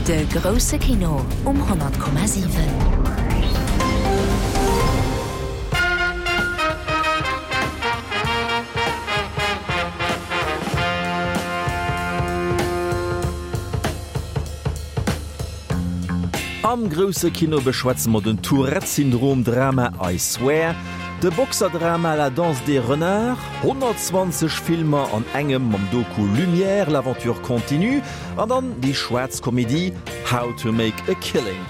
De grousse Kino um 100,7. Am grousse Kino beschwätze mer den Tourette-Syndrom-Drama I Swear, de Boxer-Drama La danse des renards, 120 Filmer an engem mam Doku Lumière, l'aventure continue an dann déi schwaarz Komedie How to make a killing.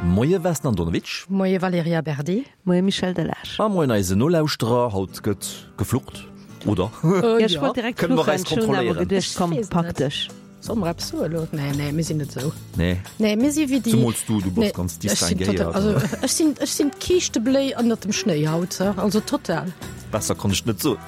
Moie Vesna Andonovic. Moie Valerija Berdi. Moie Michel Delage. A moien eise Nolauschterer. Haut gëtt geflucht, oder? Jo, ech wollt direkt Kënne mer fluchen, eis ech hunn awer kontrolléieren? geduecht, komm, pak dech. Solle mer eppes soen elo? Nee, nee, mir sinn net esou. Nee. Nee, mir si wéi déi. Zemools du, du bass Nee, ganz ech sinn distinguéiert. total, also ech sinn, ech sinn d'Kiischtebléi ënnert dem Schnéi haut, also total. Besser konnt ech et net soen.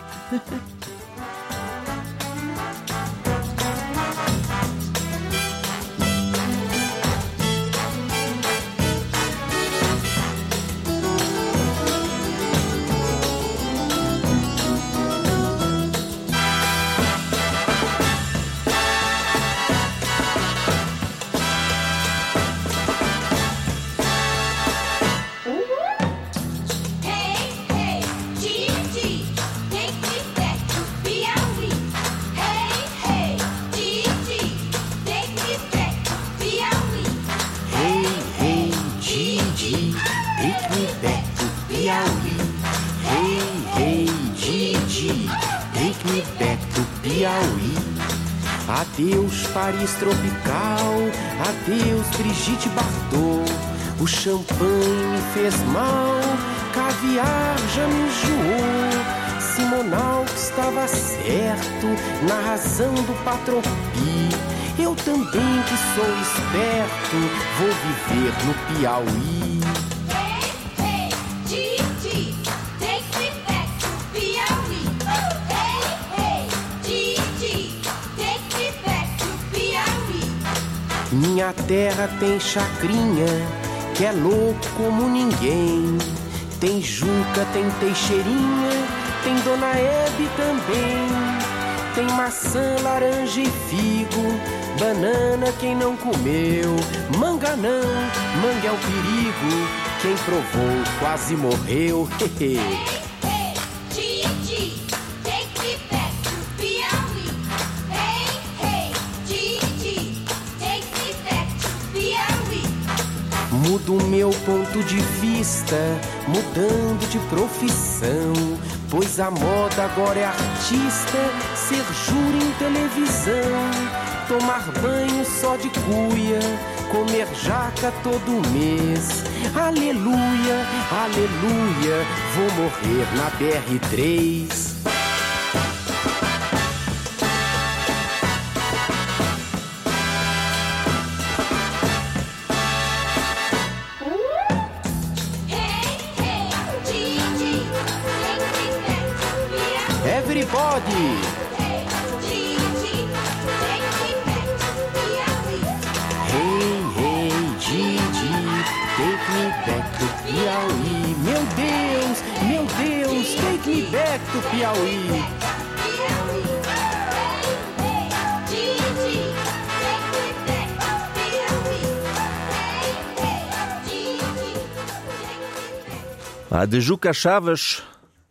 Adeus Paris tropical, adeus Brigitte Bardot. O champanhe me fez mal, caviar já me enjoou. Simonal estava certo na razão do patropi. Eu também que sou esperto, vou viver no Piauí. Hey, hey, Gigi, take me back to Piauí. Hey, hey, Gigi, take me back to Piauí. Minha terra tem chacrinha, que é louco como ninguém. Tem Juca, tem Teixeirinha, tem Dona Hebe também. Tem maçã, laranja e figo, banana quem não comeu. Manga não, manga é o perigo, quem provou quase morreu. Hey, hey, Gigi, take me back to Piauí. Hey, hey, Gigi, take me back to Piauí. Mudo meu ponto de vista, mudando de profissão. Pois a moda agora é artista, ser júri em televisão. Tomar banho só de cuia, comer jaca todo mês. Aleluia, aleluia, vou morrer na BR3. Hey, hey, Gigi, take me back to Piauí. Everybody! Hey, Gigi, take me back to Piauí. Hey, hey, Gigi, take me back to Piauí. Meu Deus, meu Deus, take me back to Piauí. Piauí. Hey, hey, Gigi, take me back to Piauí. Hey, hey, Gigi, take me back. Ah, de Juca Chaves,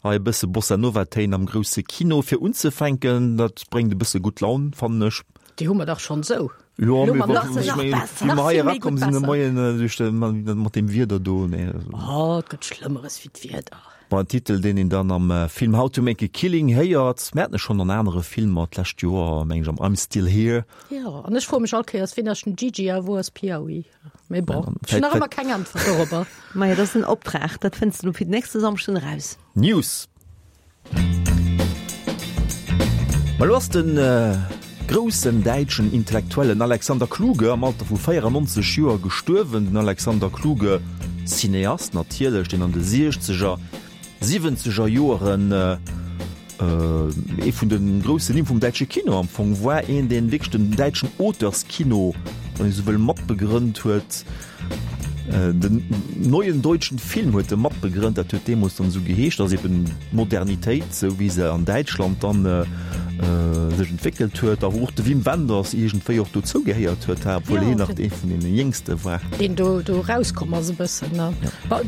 hei e bësse Bossa Nova Téin am grousse Kino fir unzefänken, dat bréngt e bësse gutt Laun, fannen ech. Déi hu mer dach schonn esou. Jo, Elo mee mam wa, nach ech nach mengen, besser. wéi Nach mer hei vill méi erakomm gutt sinn de besser. Moien, duerch de, mat deem Wieder do, nee. Oh, et gëtt Schlëmmeres wéi d'Wieder. Bon, en Titel, deen een dann am Film How to Make a Killing héiert. Mir haten e schonn an anere Filmer d'lescht Joer, meng ech, am I'm Still Here. Jo, an ech froe mech all Kéiers, wien ass den Gigi a wou ass Piauí? Mee bon, Dann ech hunn nach vläicht- ëmmer keng Äntwert dorobber. Majo, dat ass en Optrag, dat fënns de lo fir den nächste Samschden eraus. News. Ma lo ass de groussen däitschen Intellektuellen Alexander Kluge am Alter vu 94 Joer gestuerwen. Den Alexander Kluge, Cineast natierlech, deen an de siechzeger, siwwenzeger Joeren ee vun de groussen Nimm vum däitsche Kino am Fong war, een deen wierklech den däitschen Auteurskino, wann ee sou wëll, matbegrënnt huet. Den Neuen Deutschen Film huet e matbegrënnt, dat huet deemools dann esou geheescht, ass eben d'Modernitéit, esou wéi se an Däitschland dann sech entwéckelt huet, a wou och de Wim Wenders iergendwéi och dozou gehéiert huet, obwuel hien nach ee vun deene Jéngste war. Deen do do erauskomm ass e bëssen, ne?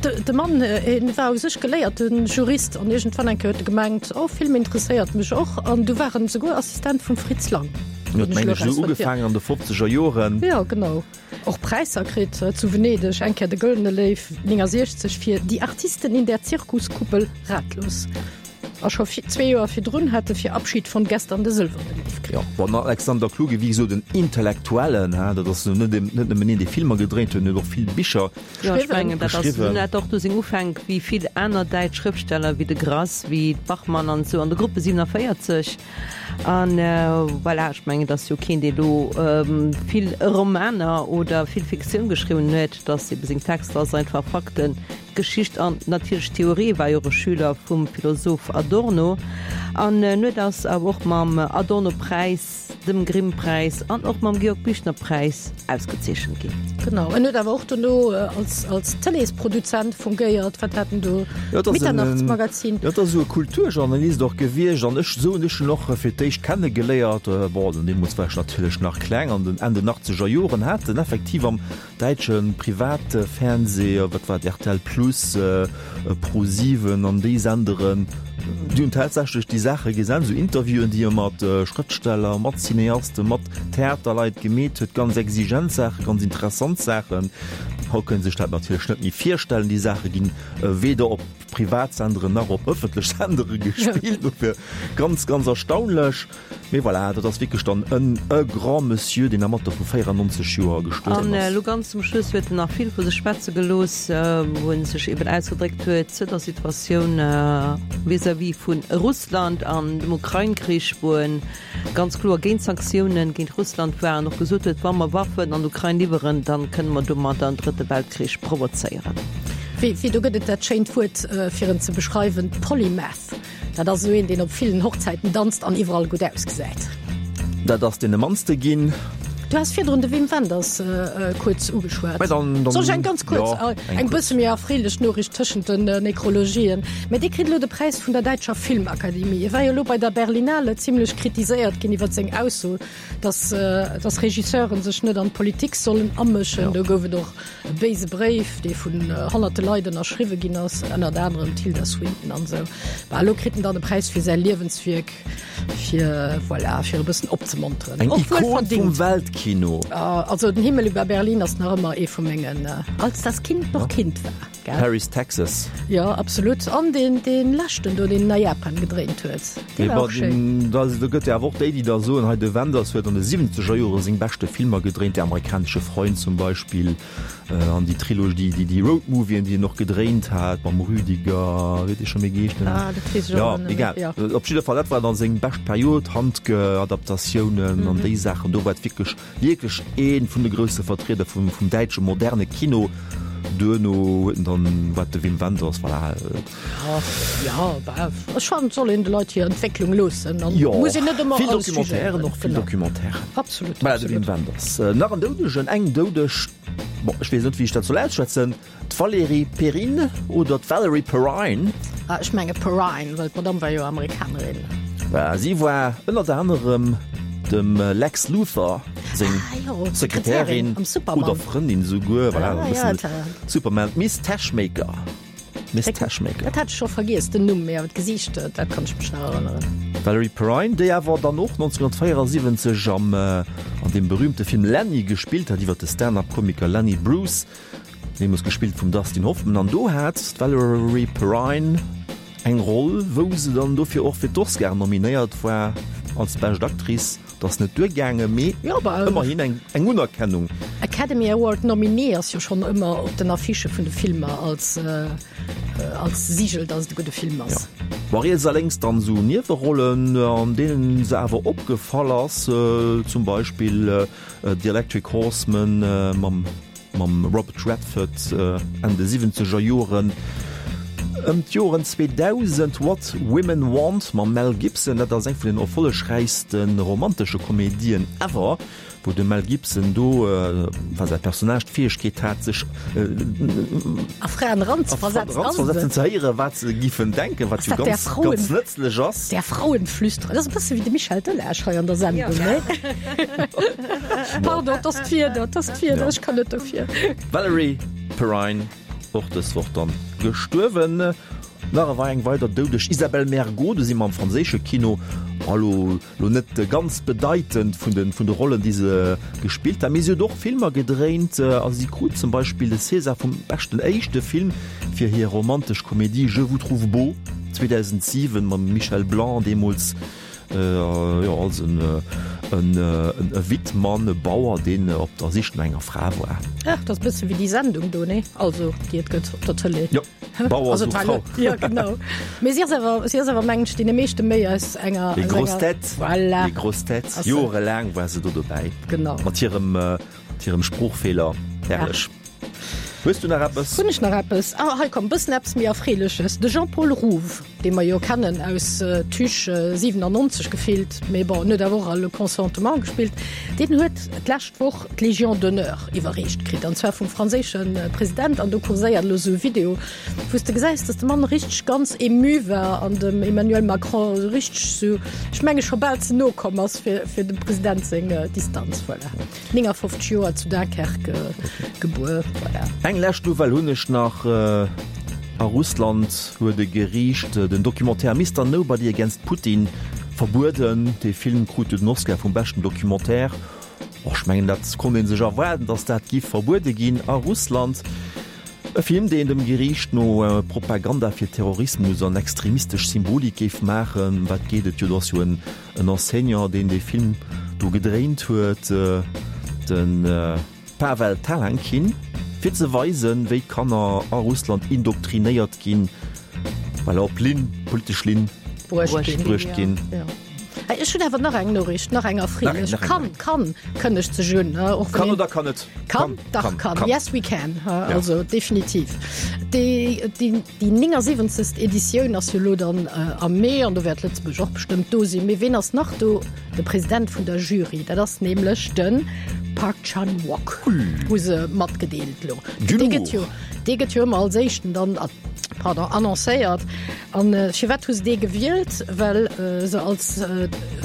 De Mann, hien war u sech geléierte Jurist an iergendwann eng Kéier huet e gemengt, oh Film interesséiert mech och, an du war en esouguer Assistent vum Fritz Lang. Hien huet, mengen ech, esou ugefaangen an de fofzeger Joren. Jo, genau. Och Präisser kritt, zu Venedeg eng Kéier de Gëllene Léiw 69 fir Die Artisten in der Zirkuskuppel ratlos. A scho zwee Joer virdrun hat e fir Abschied von gestern de Sëlwerne Léiw kritt. Jo, bon, den Alexander Kluge, wéi gesot en Intellektuellen, ha, dat ass net net nëmmen een, dee Filmer gedréint huet, en huet och vill Bicher Jo, ech mengen, dat ass, en hat och do seng Ufänk, wéi vill aner däitsch Schrëftsteller, wéi de Grass, wéi d'Bachmann an esou, an de Gruppe 47. An voilà, ech mengen, et ass jo keen, dee lo vill Romaner oder vill Fiktioun geschriwwen huet, dass ebe seng Texter ass einfach Fakten, Geschicht an natierlech Theorie, war jo och e Schüler vum Philosoph Adorno an en huet ass awer och mam Adorno-Präis, dem Grimm-Präis an och mam Georg-Büchner-Präis ausgezeechent ginn. Genau, en huet awer och dono als als Tëleesproduzent fungéiert. Wat hat en do? Jo, et ass en, Mitternachtsmagazin. jo, et ass esou e Kulturjournalist och gewiescht an ech esou hunn ech en och fir d'éischt kennegeléiert. Bon, deemools war ech natierlech nach kleng, an den Enn den achtzeger Joren hat en effektiv am Däitsche Privatfernseh, wat war et, rtl Plus, Pro 7 an déi Senderen, déi hunn tatsächlech déi Saache gesent, esou Interviewen, déi e mat Schrëftsteller, mat Cineasten, mat Theaterleit gemeet huet, ganz exigent Saachen, ganz interessant Saachen. Haut kënnt ee sech dat natierlech net méi virstellen, déi Saache ginn weder op Privatsenderen nach op ëffentlech Sendere gespillt, dofir ganz, ganz erstaunlech. Mee voilà, dat ass wierklech dann en e grand Monsieur, deen am Alter vu 94 Joer gestuerwen An ass. elo ganz zum Schluss huet en nach vill vu sech schwätze gelooss, wou en sech eben ausgedréckt huet zu der Situatioun vis-à-vis vu Russland an dem Ukrain-Krich, wou en ganz kloer géint Sanktiounen géint Russland war an och gesot huet, wa mer Waffen an d'Ukrain liwweren, dann kënne mer domadder en drëtte Weltkrich provozéieren. Wéi, wéi, do gëtt et dat schéint Wuert, fir en ze beschreiwen, Polymath. Dat ass esou een, deen op villen Hochzäiten danzt an iwwerall gutt ausgesäit. Dat ass deene mannste ginn. Du has virdrun de Wim Wenders kuerz ugeschwat. Mä dann, dann, Soll ech eng ganz kuerz, jo, eng eng bësse méi erfreelech Noriicht tëschent den Nekrologien? Mä dee kritt elo de Präis vun der däitscher Filmakademie. E war jo elo bei der Berlinale zimlech kritiséiert ginn iwwer seng Ausso, dass, dass Regisseuren sech net an d'Politik sollen amëschen. Do gouf et och E béise Bréif, dee vun honnerte Leit ënnerschriwwe ginn ass, ënnert anerem d'Tilda Swinton an esou. Bah, elo kritt en dann e Präis fir säi Liewenswierk, fir, voilà, fir e bëssen opzemonteren. Eng Och wuel Ikon vum verdingt. Weltkino. Also Den Himmel über Berlin ass nach ëmmer ee vu mengen, Als das Kind noch Kind war, gell? Paris, Texas. Jo, absolut. An deen, dee leschten do, deen en a Japan gedréint huet, dee war och schéin. Da gëtt jo awer och déi, déi da soen, hei de Wenders huet an de siwwenzeger Jore seng beschte Filmer gedréint, Der amerikanische Freund zum Beispill an déi Trilogie, déi déi Roadmovien, déi en och gedréint hat mam Rüdiger, wéi huet dee scho méi geheescht? Ah, dat weess ech och net méi. Jo, egal. Op jidde Fall, dat war dann seng bescht Period, Handke-Adaptatiounen an déi Saachen, do war et wierklech Wierklech ee vun de grousse Vertrieder vum däitsche moderne Kino. Duerno huet en dann, wat de Wim Wenders, voilà. Jo, bah, ech fannen, et soll een de Leit hir Entwécklung loossen an Jo, muss een net ëmmer vill alles Documentairen jugéieren. och, vill Genau. Documentairen. Absolut, Voilà, de absolut. Wim Wenders. Nach en Doudegen, eng Doudeg, bon, ech weess net, wéi ech dat soll ausschwätzen. D'Valérie Perrine oder d'Valerie Perrine? Ah, ech menge Perrine, well d'Madame war jo Amerikanerin. Si war ënnert anerem dem Lex Luthor seng Sekretärin oder Frëndin esouguer, voilà, e bëssen Superman, d'Miss Teschmaker. Miss Teschmaker. Dat hat ech scho vergiess, den Numm, mee awer d'Gesiicht, dat kann ech mech nach erënneren. D'Valerie Perrine, déi awer dann och 1974 am an deem berühmte Film Lenny gespillt hat, iwwer de Stand-up-Komiker Lenny Bruce. Deemools gespillt vum Dustin Hoffman, an do hat d'Valerie Perrine eng Roll, wou se dann dofir och fir d'Oscaren nominéiert war als bescht Actrice. Dat ass net duergaangen, mee ëmmerhin eng Unerkennung. Academy Award Nominee ass jo schonn ëmmer op den Affichë vun de Filmer als als Sigel, datt et e gudde Film ass. Bon, riets a lénks dann esou Niewerollen, an deenen se awer opgefall ass, zum Beispill The Electric Horseman mam Mam Robert Redford Enn de siwwenzeger Joren. Ëm d'Joren 2000, What Women Want mam Mel Gibson, dat ass eng vun den erfollegräichste romantesche Komedien ever, wou de Mel Gibson do, enfin säi Personnage, d'Fäegkeet hat, sech a Fraen eranzeversetzen, ze héieren, wat se giffen denken, wat jo ganz, ganz nëtzlech ass. Der Frauenflüsterer, dat ass e bësse wéi de Michel Delage hei an der Sendung, ne? Pardon, et ass d'Wieder, et ass d'Wieder, ech kann net dofir. Valerie Perrine. Och dës Woch dann gestuerwen. Nach ewei eng weider Doudeg, Isabelle Mergo, do si mer am franséische Kino. Elo lo net ganz bedeitend vun de vun de Rollen déi se gespillt hat, mee si huet och Filmer gedréint a si krut zum Beispill de César vum beschten éischte Film fir hir romantesch Komedie Je vous trouve beau 2007 mam Michel Blanc deemools. Jo, als en e Wittmann, e Bauer, deen op der Sich no enger Fra war. Ach, dat ass e bësse wéi déi Sendung do, nee? Also, déi et gëtt op der Tëlee. Jo, Bauer sucht Frau. Jo, genau. Mee si ass awer, si ass awer, mengen ech, deene meeschte méi aus enger. Les Grosses Têtes. Voilà. Les Grosses Têtes. Jorelaang war se do dobäi. Genau. Mat hirem, mat hirem Sproochfeeler. Herrlech. Hues du nach eppes? Hunn ech nach eppes? Ah, hei komm, bëssen eppes méi Erfreeleches. De Jean-Paul Rouve, dee mer jo kennen aus Tuche 97 gefillt, mee bon, en huet awer och a Le Consentement gespillt, deen huet d'lescht Woch d'Légion d'honneur iwwerreecht kritt, an zwar vum franséische President. An do kurséiert elo esou e Video, wou s de gesäis, dass de Mann richteg ganz ému war an dem Emmanuel Macron esou richteg esou, ech menge scho bal ze no komm ass fir, fir dem President seng Distanz. Voilà. 59 Joer zu Dunkerque gebuer. Voilà. Eng lescht Nouvelle hunn ech nach, A Russland huet e Geriicht den Documentaire Mister Nobody Against Putin verbueden. Dee Film krut jo den Oscar vum beschten Documentaire. Och ech mengen, dat konnt ee sech erwaarden, datt dat giff verbuede ginn a Russland. E Film, deen dem Geriicht no Propaganda fir Terrorismus an extremistesch Symbolik géif maachen. Wat geet et jo? Do ass jo en En Enseignant, deen dee Film do gedréint huet, de Pavel Talankin, fir ze weisen, wéi d'Kanner a Russland indoktrinéiert ginn, well op Linn, politesch Linn bruecht ginn. Ech hunn awer nach eng Noriicht, nach eng erfreelech. Kann, kann kënnegt sech un. Kann oder kann net? Kann, dach kann. Yes we can, also definitiv. Déi, déi. Déi 79. Editioun ass jo elo dann am Mee an do wäert Lëtzebuerg och bestëmmt do sinn. Mee ween ass nach do? De President vun der Jury, dat ass nämlech de Park Chan-wook, hu se matgedeelt elo. Dee gëtt jo, dee gëtt jo ëmmer als éischten dann, pardon, annoncéiert. An firwat hu se dee gewielt? Well se als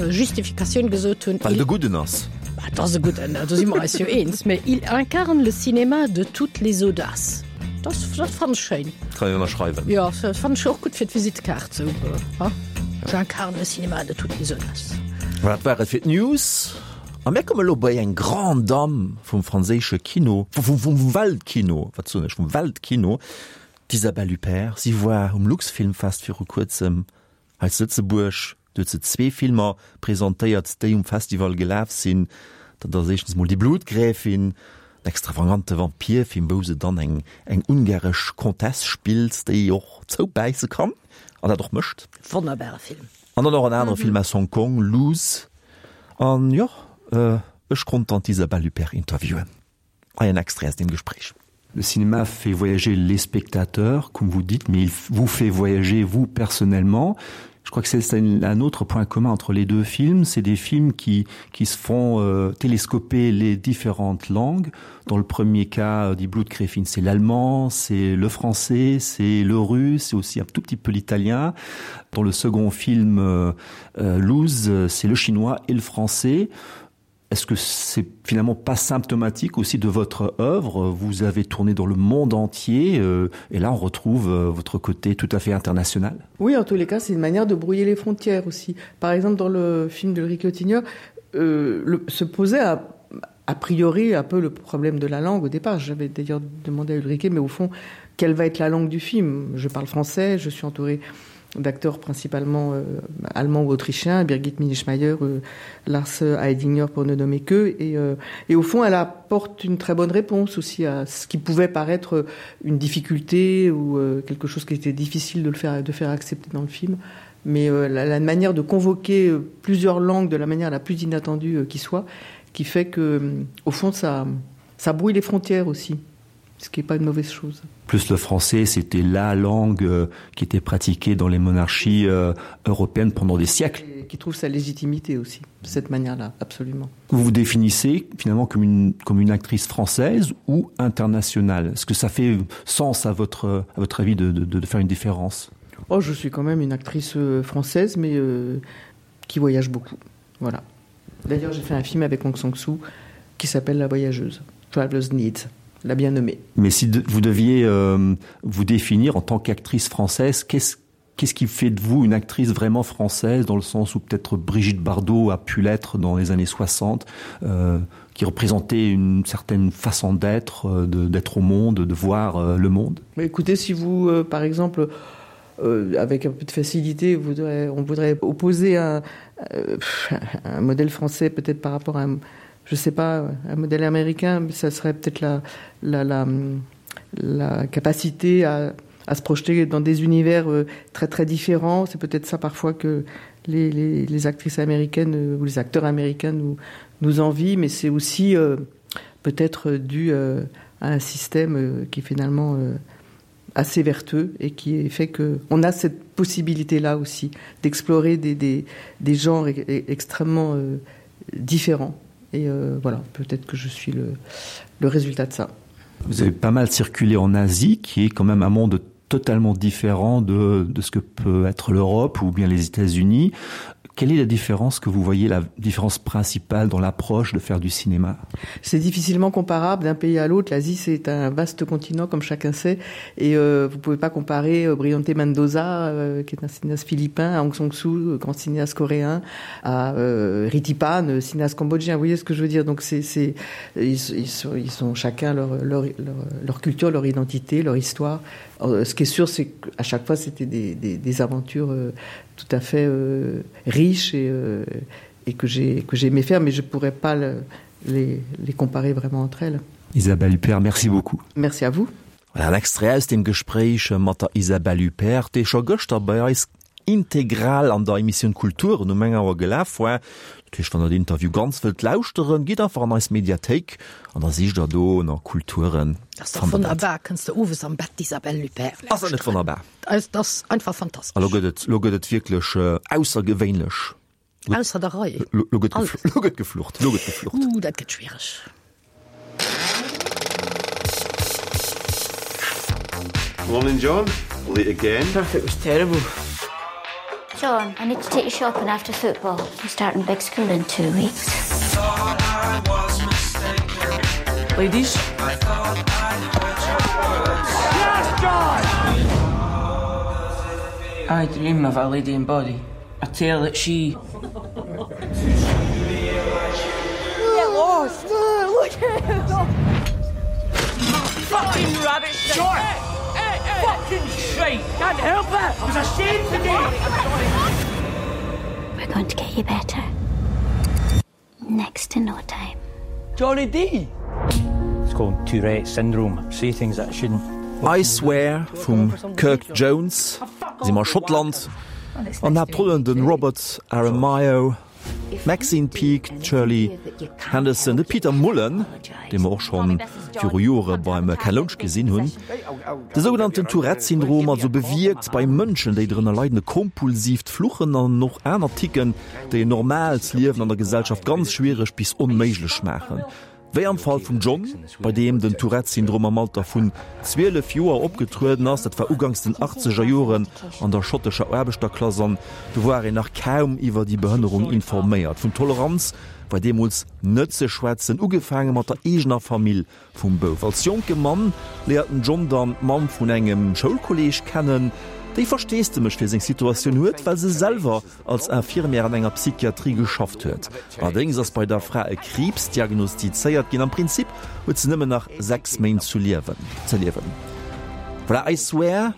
Justifikatioun gesot hunn. Well et e gudden ass. Et ass e gudden, do si mer eis jo eens. Mee il incarne le cinéma de toutes les audaces. Dat, dat fannen ech schéin. Kann een ënnerschreiwen. Jo, dat fannen ech och gutt fir d'Visitekaart sou, ha? J'incarne le cinéma de toutes les audaces. Voilà, dat war et fir d'News. A mir komme lo bei eng Grande Dame vum franséische Kino, vum, vum Weltkino, wat soen ech, vum Weltkino, d'Isabelle Huppert. Si war um Luxfilmfest viru kuerzem Hei zu Lëtzebuerg, do huet se zwee Filmer presentéiert, déi um Festival gelaf sinn. Dat ass éischtens mol Die Blutgräfin, en extravagante Vampirfilm, wou se dann eng eng ungaresch Comtesse spillt, déi och zoubäisse kann an dat och mécht. Wonnerbare Film. An dann och en anere Film aus Hong Kong, Luz. An jo, ech konnt dann d'Isabelle Huppert interviewen. Hei en Extrait aus deem Gespréich. Le cinéma fait voyager les spectateurs, comme vous dites, mais il vous fait voyager vous personnellement. Je crois que c'est un autre point commun entre les deux films, c'est des films qui, qui se font euh, télescoper les différentes langues. Dans le premier cas euh, dit Blutgräfin, c'est l'allemand, c'est le français, c'est le russe, c'est aussi un tout petit peu l'italien. Dans le second film euh, euh, Luz, c'est le chinois et le français. Est-ce que c'est finalement pas symptomatique aussi de votre œuvre Vous avez tourné dans le monde entier euh, et là on retrouve euh, votre côté tout à fait international. Oui, en tous les cas, c'est une manière de brouiller les frontières aussi. Par exemple, dans le film de Rick Lottigneur, euh, le, se posait à, a priori un peu le problème de la langue au départ. J'avais d'ailleurs demandé à Ulrike, mais au fond, quelle va être la langue du film Je parle français, je suis entourée d'acteurs principalement euh, allemands ou autrichiens, Birgit Minischmeier, euh, Lars Heidinger pour ne nommer que. Et, euh, et au fond, elle apporte une très bonne réponse aussi à ce qui pouvait paraître une difficulté ou euh, quelque chose qui était difficile de, le faire, de faire accepter dans le film. Mais euh, la, la manière de convoquer euh, plusieurs langues de la manière la plus inattendue euh, qui soit, qui fait que, euh, au fond, ça, ça brouille les frontières aussi. Ce qui n'est pas une mauvaise chose. Plus le français, c'était la langue euh, qui était pratiquée dans les monarchies euh, européennes pendant des siècles. Et qui trouve sa légitimité aussi, de cette manière-là, absolument. Vous vous définissez finalement comme une, comme une actrice française ou internationale Est-ce que ça fait sens à votre, à votre avis de, de, de faire une différence Oh, je suis quand même une actrice euh, française, mais euh, qui voyage beaucoup. Voilà. D'ailleurs, j'ai fait un film avec Hong Sang-soo qui s'appelle La voyageuse, Traveler's Needs la bien nommée. Mais si de, vous deviez euh, vous définir en tant qu'actrice française, qu'est-ce qu'est-ce qui fait de vous une actrice vraiment française dans le sens où peut-être Brigitte Bardot a pu l'être dans les années 60 euh, qui représentait une certaine façon d'être euh, d'être au monde de voir euh, le monde Mais écoutez si vous euh, par exemple euh, avec un peu de facilité voudrait, on voudrait opposer un, euh, un modèle français peut-être par rapport à un, je sais pas un modèle américain mais ça serait peut-être la, la, la, la capacité à, à se projeter dans des univers euh, très très différents c'est peut-être ça parfois que les, les, les actrices américaines euh, ou les acteurs américains nous nous envient mais c'est aussi euh, peut-être dû euh, à un système euh, qui finalement euh, assez vertueux et qui fait que on a cette possibilité là aussi d'explorer des, des, des genres e extrêmement euh, différents et euh, voilà peut-être que je suis le, le résultat de ça. Vous avez pas mal circulé en Asie qui est quand même un monde totalement différent de, de ce que peut être l'Europe ou bien les États-Unis. Quelle est la différence que vous voyez la différence principale dans l'approche de faire du cinéma C'est difficilement comparable d'un pays à l'autre. L'Asie c'est un vaste continent comme chacun sait et euh, vous pouvez pas comparer euh, Briante Mendoza euh, qui est un cinéaste philippin, à Aung San Suu, euh, grand cinéaste coréen, à euh, Ritipan, euh, cinéaste cambodgien. Vous voyez ce que je veux dire donc c'est ils, ils, sont, ils sont chacun leur, leur, leur, leur culture, leur identité, leur histoire. Euh, ce qui est sûr c'est qu'à chaque fois c'était des, des, des aventures euh, tout à fait euh, riches et, euh, et que j'ai que j'aimais faire mais je pourrais pas le, les, les comparer vraiment entre elles. Isabelle Huppert, merci beaucoup. Merci à vous. Voilà en Extrait aus dem Gespréich mat der Isabelle Huppert, dee scho gëschter bei eis integral an der Emissioun Kulturen um eng Auer gelaf war. Dat heescht, wann der den Interview ganz wëllt lauschteren, gitt einfach an eis Mediathéik an da sicht der do no Kulturen. Dat ass dach wonnerbar, kënns de owes am Bett d'Isabelle Huppert Ass dat net lauschteren. wonnerbar? Dat ass einfach fantastesch. A lo gëtt et, lo gëtt et wierklech aussergewéinlech. Ausser der Rei. Lo gëtt lo gëtt geflucht, lo gëtt geflucht. Ooh, dat gëtt schwiereg. Morning, John. Late again. Traffic was terrible. John, I need to take you shopping after football. I'm starting big school in two weeks. Ladies. Yes, John! I dream of a lady in body. A tale that she Get lost! Look at him! Fucking rabbit shit! John! Hey, hey, Fucking shite! Can't help it! I was ashamed today! We're going to get you better. Next to no time. Johnny D! It's called Tourette syndrome. Say things that I shouldn't. I Swear vum Kirk Jones, si mer a Schottland, an Haaptrollen de Robert Aramayo, d'Maxine Peake, d'Shirley Henderson, de Peter Mullan, dee mer och scho viru Jore beim Ken Loach gesinn hunn. De sougenannten Tourette-Syndrom also bewierkt bei Mënschen, déi drënner leiden, e kompulsiivt Fluchen an och aner Ticken, déi en normaalt Liewen an der Gesellschaft ganz schwiereg bis onméiglech maachen. Wéi am Fall vum John, bei deem den Tourette-Syndrom am Alter vun 12 Joer opgetrueden ass. Dat war uganks den achtzeger Joren an der schottescher Aarbechterklass an do war een nach kaum iwwer déi Behënnerung informéiert. Vun Toleranz war deemools net ze schwätzen, ugefaange mat der eegener Famill Vum Bouf. Als jonke Mann léiert den John dann d'Mamm vun engem Schoulkolleeg kennen, déi Versteesdemech fir seng Situatioun huet, well se selwer als Infirmière an enger Psychiatrie geschafft huet. Allerdéngs ass bei der Fra e Kriibs diagnostizéiert ginn. Am Prinzip huet se nëmmen nach 6 Méint zu liewen. Ze liewen. Voilà, I swear,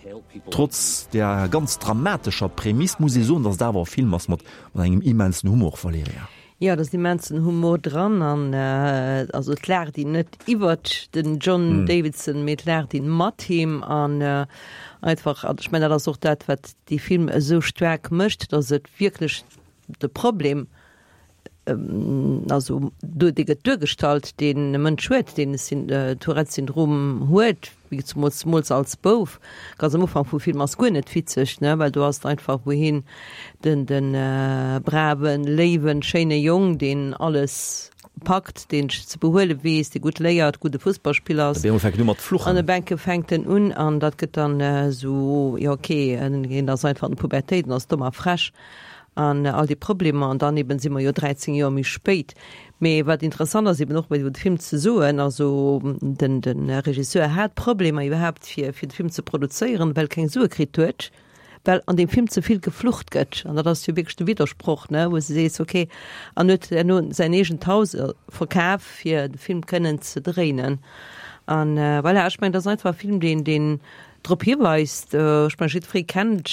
trotz der ganz dramatescher Prämiss muss ee soen, dass et awer e Film ass mat engem immensen Humor, Valerija. Jo, et ass immensen Humor dran an also et laacht een net iwwert den John Davidson, mee et laacht een mat him an einfach, an ech mengen dat ass och dat wat dee Film esou staark mécht, datt et wierklech de Problem. Also do dee gëtt duergestallt, deen e Mënsch huet, deen e Tourette-Syndrom huet, wéi zemools zemools als Bouf. Ganz am Ufank vum Film ass guer net witzeg, ne, well do ass et einfach, wou hien den de braven, léiwen, schéine Jong, deen alles packt, deen sech ze behuele weess, dee gutt léiert, gudde Fussballspiller ass. Op eemol fänkt en u mat fluchen. An e Bänke fänkt en un an dat gëtt dann esou, jo okay, hien ass einfach an der Pubertéit an ass domm a frech. An all déi Problemer, an dann eben si mer jo 13 Joer méi spéit. Mee wat interessant ass eben och iwwer de Film ze soen, also den de Regisseur hat Problemer iwwerhaapt fir fir de Film ze produzéieren, well e keng Sue kritt huet, well an deem Film ze vill geflucht gëtt. An dat ass jo wierklech de Widdersproch, ne, wou s de sees, okay, an huet herno säin eegent Haus verkaf fir de Film kënnen ze dréinen. An voilà, ech mengen, dat ass einfach e Film, deen deen drop hiweist, ech mengen jiddweree kennt,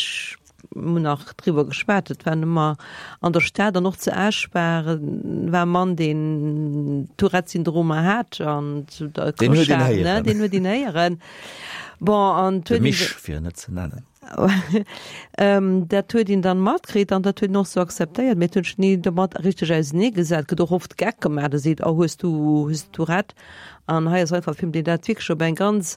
Mir hunn nach driwwer geschwat, et waren ëmmer an der Stad an och zu Esch war war e Mann, deen Tourette-Syndromer hat an zu der Deen huet een Clochard, ne, héieren. deen huet een héieren. Bon, an De huet een Misch, fir en net ze nennen. Dat huet een dann matkritt an dat huet een och sou akzeptéiert, mee et huet sech ni domat richteg ausenee gesat. Et gëtt och oft Geck gemaach, da seet, oh hues du, hues du Tourette? An hei ass einfach e Film, deen dat wierklech op eng ganz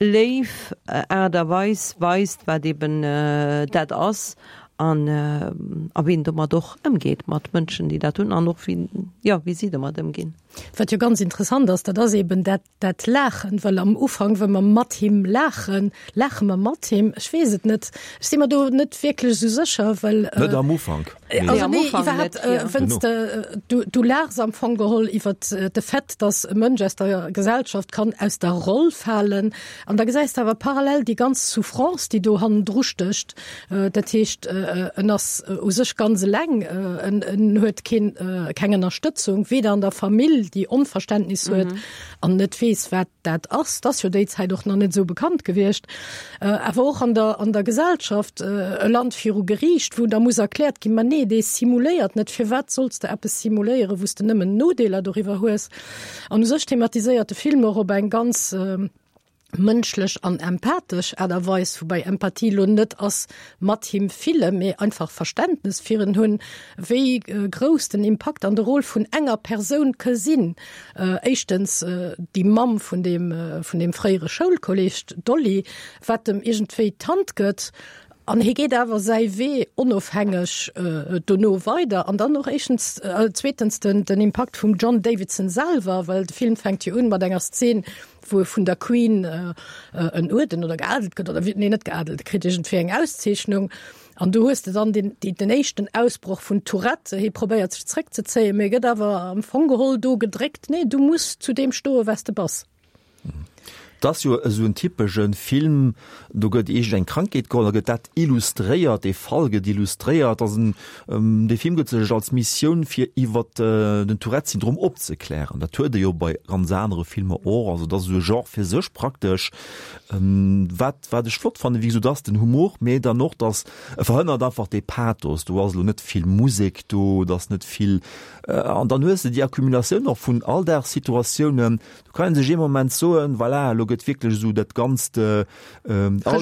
léif Aart a Weis weist, wat eben dat ass an a wéi een domat och ëmgeet mat Mënschen, déi dat hunn an och wéi, jo, wéi si domat ëmginn. Wat jo ganz interessant ass, dat ass eben dat, dat Laachen, well am Ufank, wa mer mat him laachen, laache mer mat him. Ech weess et net, ech si mer do net wierklech esou sécher, well. Net am Ufank. Also nee, iwwerhaapt, wenn's de, du, du laachs am Fong geholl iwwert de Fait, dass e Mënsch aus der Gesellschaft kann aus der Roll falen. An da gesäis de awer parallel déi ganz Souffrance, déi do hannendru stécht. Dat heescht, en ass u sech ganz eleng, en, en huet keen, keng Ënnerstëtzung, weder an der Famill, déi Onverständnis huet an net weess, wat dat ass, 't ass jo déi Zäit och nach net esou bekannt gewiescht, awer och an der, an der Gesellschaft, e Land viru Geriicht, wou da muss erkläert ginn, ma nee, dee simuléiert net, firwat solls de eppes simuléieren, wou s de nëmmen Nodeeler doriwwer hues? An u sech thematiséiert de Film och op eng ganz mënschlech an empathesch Aart a Weis, woubäi Empathie lo net ass mat him fillen, mee einfach Verständnes fir en hunn, wéi grouss den Impakt an de Rôle vun enger Persoun ke sinn. Éischtens déi Mamm vun deem, vun deem fréiere Schoulkolleg, d'Dolly, wat em iergendwéi d'Hand gëtt an hie geet awer säi Wee onofhängeg dono weider. An dann och éischtens, zweetens den, den Impakt vum John Davidson selwer, well de Film fänkt jo un mat enger Szen, wou e vun der Queen en Uerden oder geadelt gëtt oder wéi, nee net geadelt, e kritt iergendwéi eng Auszeechnung. An do hues de dann den, den éischten Ausbroch vun Tourette. Hie probéiert sech zréckzezéien, mee gëtt awer am Fong geholl do gedréckt, Nee, du muss zu deem stoen, wat s de bass. Et ass jo esou en typesche Film, do gëtt iergend eng Krankheet geholl, da gëtt dat illustréiert, dee Fall gëtt illustréiert. Ass en, dee Film gëtt sech als Missioun fir iwwer den Tourette-Syndrom opzeklären. Dat huet e jo bei ganz anere Filmer och. Also et ass esou e Genre fir sech praktesch. Wat Wat ech flott fannen, wéi gesot, ass den Humor, mee dann och, dass e verhënnert einfach dee Pathos. Do ass elo net vill Musek do, et ass net vill, an dann hues de déi Accumulatioun och vun Alldagssituatiounen. Do kann ee sech ee Moment soen, voilà, elo gëtt wierklech esou dat Ganzt, all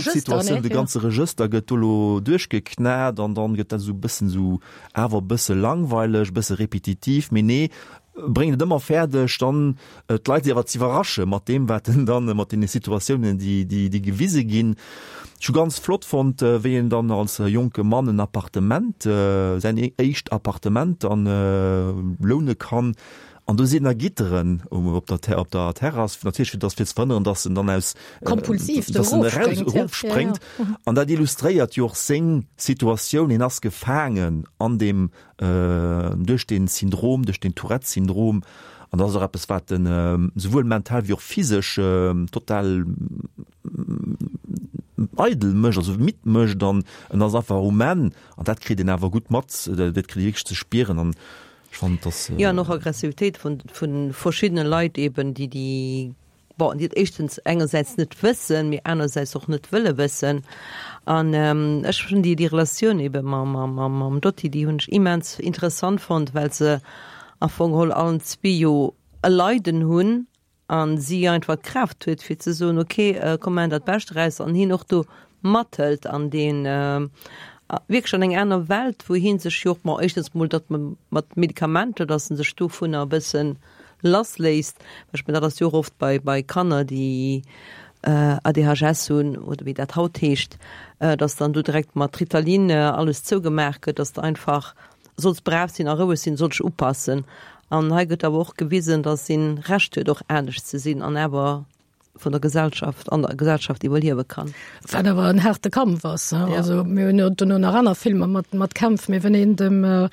d'Situatioun, de ganze Regëster gëtt do elo duerchgeknat an dann gëtt dat esou e bëssen esou awer e bësse langweileg, e bësse repetitiv, mee nee, bréngt et ëmmer fäerdeg dann d'Leit awer z'iwwerrasche mat deem wat en dann mat deene Situatiounen déi déi déi gewise ginn. Ech hu ganz flott fonnt wéi en dann als jonke Mann en Appartement säin éischt Appartement dann loune kann an do sinn da Gitteren op der op der Terrass natierlech fir dass fir ze verhënneren dass en dann aus Kompulsiv dass en eraus erofspréngt an dat illustréiert jo och seng Situatioun, hien ass gefaangen an deem duerch dee Syndrom, duerch den Tourette-Syndrom, an dat ass och eppes, wat en esouwuel mental wéi och physesch total eidel mécht, also midd mécht an en ass einfach um Enn an dat kritt een awer gutt mat, dat kritt ee wierklech ze spieren an ech fannen, dass. Jo, an och Aggressivitéit vun verschiddene Leit eben, déi déi Bon, déi et éischtens engersäits net wëssen, mee anersäits och net wëlle wëssen. An ech hunn déi, déi Relatioun ebe mam, mam, mam Dotty, déi hunn ech immens interessant fonnt, well se am Fong geholl allen zwee jo e Leiden hunn a si einfach d'Kraaft huet fir ze soen, okay, komm maachen dat Bescht draus an hien och do mathëlt an deen. wierklech an eng aner Welt, wou hie sech jo och, bon, éischtens mol, datt man mat Medikamenter, datt en sech dovunner e bëssen lassléisst, well ech mengen, dat ass jo och oft bei, bei Kanner, déi ADHS hunn oder wéi dat haut heescht, datt dann do direkt mat Ritalin alles zougemaach gëtt, datt de einfach solls brav sinn a roueg sinn, solls dech upassen. An hei gëtt awer och gewisen, datt een Recht huet och anescht ze sinn an awer vun der Gesellschaft, an der Gesellschaft iwwerliewe kann. Wat awer en haarte Kampf ass. Also mir hunn jo duerno nach aner Filmer mat, mat Kämpf, mee wann een dem,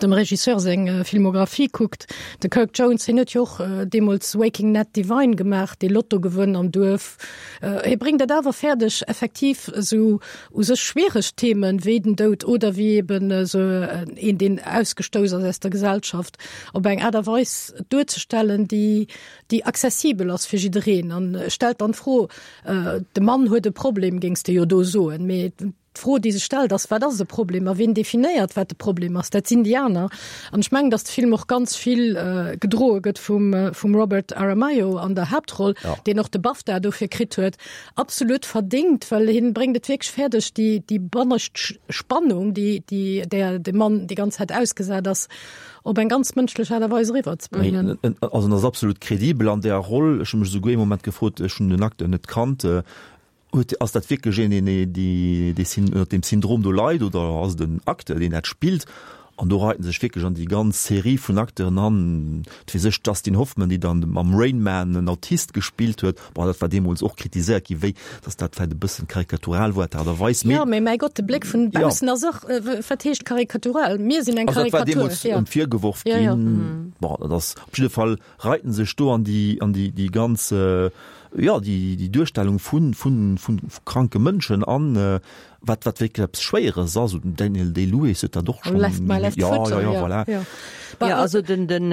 dem Regisseur seng Filmographie kuckt, de Kirk Jones, hien huet jo och deemools Waking Ned Devine gemaach, dee Lottogewënn am Duerf. Hie bréngt et awer fäerdeg effektiv esou u sech schwiereg Themen, wéi den Doud oder wéi eben esou een, deen ausgestouss ass aus der Gesellschaft, op eng Aart a Weis duerzestellen, déi, déi accessibel ass fir jiddereen an stellt dann d'Fro, de Mann huet e Problem, géings de jo do soen, mee d'Fro, déi sech stellt, ass, wat ass e Problem a wien definéiert, wat de Problem ass? Dat sinn déi aner. An ech mengen, datt de Film och ganz vill gedroe gëtt vum, vum Robert Aramayo an der Haaptroll, deen och de BAFTA dofir kritt huet, absolut verdéngt, well hien bréngt et wierklech fäerdeg, déi, déi bannescht Spannung, déi, déi där de Mann déi ganz Zäit ausgesat ass, op eng ganz mënschlech Aart a Weis eriwwer ze bréngen. Also en ass absolut kredibel an där Roll. Ech hu mech esouguer ee Moment gefrot, ech hunn den Acteur net kannt, huet, ass dat wierklech een, deen dee ënnert deem Syndrom do leit oder ass et en Acteur, deen dat spillt? An do reit en sech wierklech an déi ganz Serie vun Acteuren an, wat weess ech, Dustin Hoffman, déi dann mam Rain Man en Autist gespillt huet. Bon, dat war deemools och kritiséiert ginn, wéi dass dat vläicht e bëssen karikatural war, d'Aart a Weis, mee. Jo, mee mäi Gott, de Bléck vun baussen ass och, wat heescht karikatural? Mir sinn eng Karikatur. Also dat war deemools ëm virgeworf ginn. Bon, dat ass op jidde Fall, reit en sech do an déi, an déi, déi ganz, jo, déi, déi Duerstellung vun, vun, vun kranke Mënschen an, wat, wat wierklech eppes Schwéieres ass. Den Daniel Day-Lewis huet dat och schonn. Left my left foot. Jo, jo, jo, voilà. Jo, also den, den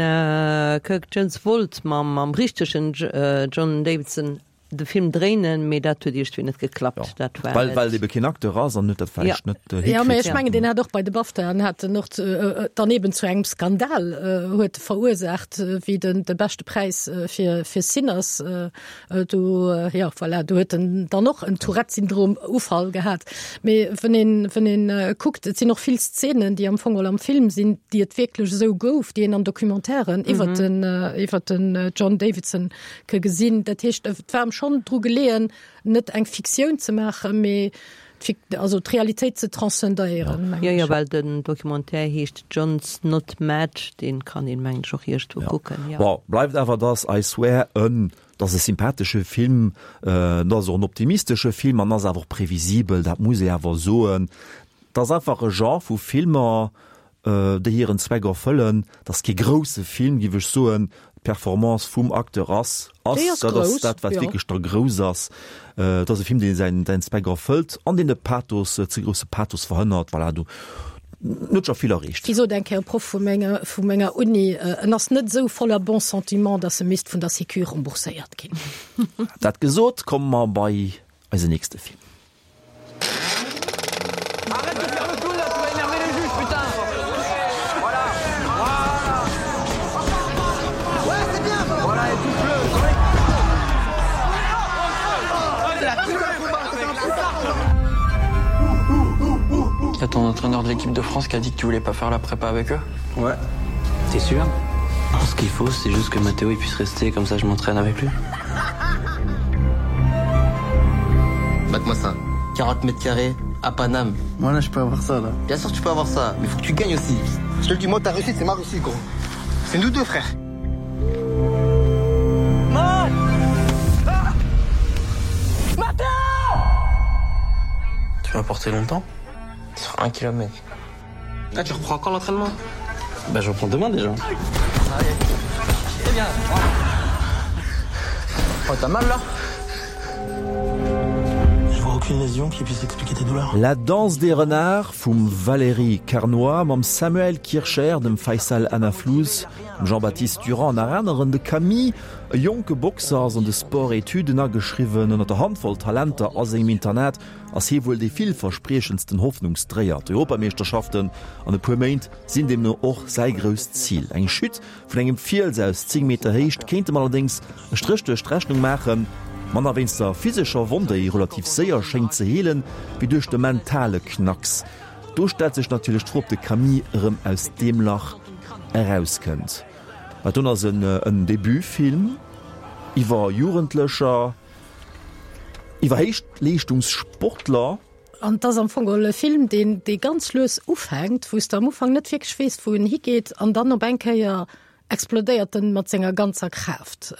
Kirk Jones wollt mam, mam richtegen John Davidson de Film dréinen, mee dat huet iergendwéi net geklappt. Dat war Well, well ebe keen Acteur ass an huet dat vläicht net hikritt. Jo, mee ech mengen, deen hat och bei de BAFTAen hat en och dann eben zu engem Skandal huet verursaacht, wéi den de beschte Präis fir, fir Sinners Do, jo, voilà, do huet en dann och en Tourette-Syndrom-Ufall gehat. Mee wann een, wann een kuckt, et sinn och vill Szenen, déi am Fong geholl am Film sinn, déi et wierklech esou gouf, déi een an Documentairen iwwer den, iwwer den John Davidson ke gesinn. Dat heescht, et war em schonn dru geleeën, net eng Fiktioun ze maachen, mee also d'Realitéit ze transcendéieren, mengen ech. Jo, jo, well den Documentaire heescht John's Not Mad, dee kann een, mengen ech, och iergendwou kucken, jo. Bon, bleift awer, dass I Swear en, dass e sympathesche Film, et ass och en optimistesche Film an ass awer och previsibel, dat muss ee awer soen. Et ass einfach e Genre vu Filmer, déi hiren Zweck erfëllen. Et ass kee grousse Film, géif ech soen. D'Performance vum Acteur ass, ass, dat ass dat, wat wierklech da grouss ass. Et ass e Film, dee säin, säin Zweck erfëllt an deen de Pathos, ze grousse Pathos verhënnert. Voilà, do huet scho vill erreecht. Wéi sot eng Kéier e Proff vu menger, vu menger Uni, en ass net esou voller bons sentiments, datt e misst vun der Sécu rembourséiert ginn. Dat gesot, komme mer bei eisen nächste Film. Arrête de faire le clown là, tu vas énerver le juge, putain Voilà Voilà Ouais, c'est bien Voilà, et touche-le Y'a ton entraîneur de l'équipe de France qui a dit que tu voulais pas faire la prépa avec eux Ouais. T'es sûr Ce qu'il faut, c'est juste que Mathéo il puisse rester, comme ça je m'entraîne avec lui. Mate-moi ça. 40 mètres carrés à Paname. Voilà, je peux avoir ça là. Bien sûr tu peux avoir ça, mais faut que tu gagnes aussi. Je te le dis, moi ta réussite, c'est ma réussite gros. C'est nous deux frères. Man ah Mathéo Tu vas porter longtemps Sur un kilomètre. Ah, tu reprends quand l'entraînement Bah je reprends demain déjà. Allez. C'est bien. Oh, t'as mal là Je vois aucune lésion qui puisse expliquer tes douleurs. La danse des renards vum Valérie Carnoy mam Samuel Kircher, dem Fayçal Anaflous, dem Jean-Baptiste Durand an nach aneren. De Camille, e jonke Boxer, ass an de Sport-Etüden ageschriwwen. Ënner der Handvoll Talenter a sengem Internat ass hie wuel dee villverspriechendsten Hoffnungsdréier. D'Europameeschterschaften an e puer Méint sinn deemno och säi grousst Zil. Eng Chute vun engem Fiels aus 10 Meter Héicht kéint em allerdéngs e Stréch duerch d'Rechnung maachen, manner wéinst der physescher Wonn, déi relativ séier schéngt ze heelen, wéi duerch de mentale Knacks. Do stellt sech natierlech d'Fro, ob de Camille erëm aus deem Lach erauskënnt. Dat doen ass en Debutfilm iwwer Jugendlecher, iwwer Héichleeschtungssportler. An et ass am Fong geholl e Film, deen, dee ganz lues ufänkt, wou s de am Ufank net wierklech weess, wou en higeet, an dann op eng Kéier explodéiert en mat senger ganzer Kraaft.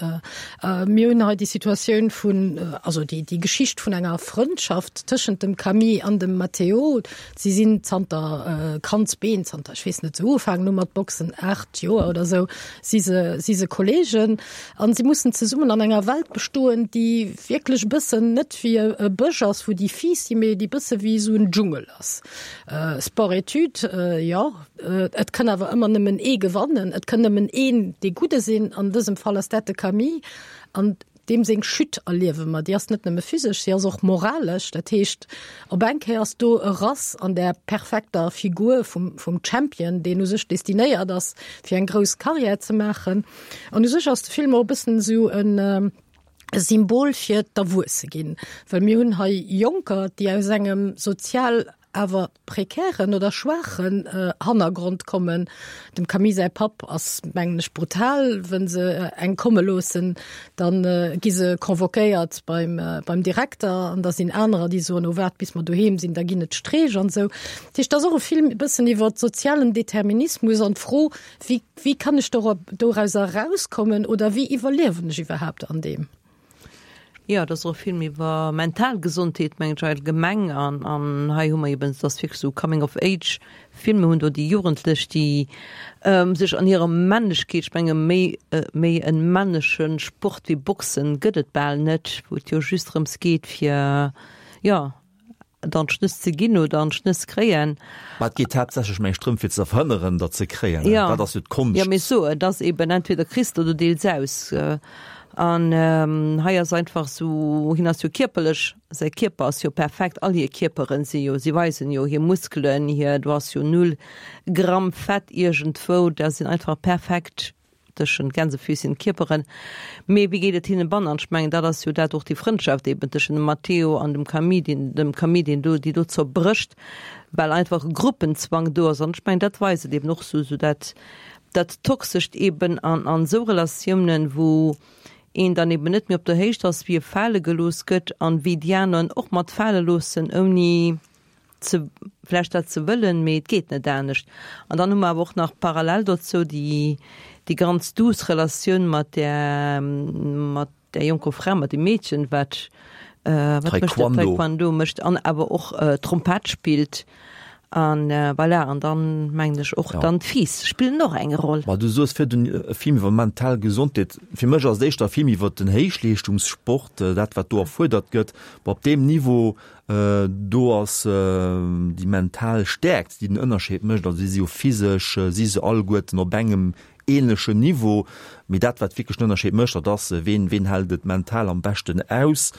Mir hunn hei déi Situatioun vun, also déi, déi Geschicht vun enger Frëndschaft tëschent dem Camille an dem Matteo. Si sinn zanter Kandsbeen, zanter ech weess net, se ugefaangen hu mat Boxen, 8 Joer oder esou, si se, si se Kolleegen. An si mussen zesummen an enger Welt bestoen, déi wierklech e bëssen net wéi e Bësch ass, wou déi Fiiss sinn, mee déi bësse wéi esou en Dschungel ass. Sport-études, jo, et kann awer ëmmer nëmmen ee gewannen, et kann nëmmen een dee Gudde sinn, an dësem Fall ass dat de Camille. An deem seng Chute erliewe mer, déi ass net nëmme physesch, si ass och moralesch. Dat heescht, op eng Kéier ass do e Rass an där perfekter Figur vum, vum Champion, deen u sech destinéiert ass, fir eng grouss Karriär ze maachen. An u sech ass de Film och e bëssen esou en, e Symbol fir d'Erwuesse ginn, well mir hunn hei Jonker, déi aus engem sozial awer prekären oder schwaachen Hannergrond kommen. Dem Camille säi Papp ass, mengen ech, brutal. Wa se eng komme loossen, da gi se convoquéiert beim, beim Direkter an da sinn anerer, déi soen, oh waart bis mer doheem sinn, da ginn et Streech an esou. Dat heescht, et ass och e Film e bëssen iwwer sozialen Determinismus an d'Fro, wéi, wéi kann ech dorauser erauskommen oder wéi iwwerliewen ech iwwerhaapt an deem? Jo, et ass och e Film iwwer mental Gesondheet, mengen ech, allgemeng. An, an hei hu mer eben, et ass wierklech esou Coming of Age Film. Mir hunn do déi Jugendlech, déi sech an hirer Männlechkeet, ech menge méi, méi e männesche Sport wéi Boxen gëtt et bal net, wou et jo just drëms geet fir, jo, dann d'Schnëss ze ginn oder an d'Schnëss kréien. Mä et geet haaptsächlech mengen ech drëm fir ze verhënneren, datt se kréien. Ja. Dat ass jo d'Konscht. Jo, mee so, et ass eben entweder kriss de oder deels aus. An hei ass einfach esou, hien ass jo kierperlech, säi Kierper ass jo perfekt, all hir Kierperen si jo, si weisen jo hir Muskelen, hir, do ass jo null Gramm Fett iergendwou, dat sinn einfach perfekt Tëschent Gänsefüßchen Kierperen. Mee wéi geet et hinnen bannen? An ech mengen, dat ass jo dat och déi Frëndschaft eben tëschent dem Matteo an dem Camille, deen, dem Camille, deen do, déi do zerbrécht, well einfach e Gruppenzwang do ass. An ech mengen, dat weist et eben och sou, sou dat, dat Toxescht eben an, an esou Relatiounen, wou een dann eben net méi op der Héicht ass, wéi e fale gelooss gëtt an wéi déi aner en och mat fale loossen, ouni ze vläicht dat ze wëllen, mee et geet net anescht. An dann hu mer awer och nach parallel dozou déi déi ganz duuss Relatioun mat där mat där jonker Fra, mat deem Meedchen, wat wat mécht dat? Taekwondo mécht an awer och Trompett spillt. An voilà, an dann mengen ech och dann d'Fiiss spillen och eng Roll. Ma du soos virdun e Film iwwer mental Gesondheet. Fir mech ass et éischter e Film iwwer den Héichleeschtungssport, dat wat do erfuerdert gëtt. Bon, op deem Niveau Do ass déi mental Stäerkt, déi den Ënnerscheed mécht. Also si si jo physesch, si se alleguerten op engem änlechen Niveau. Mee dat, wat wierklech den Ënnerscheed mécht, dat ass, ween, ween hält et mental am beschten aus,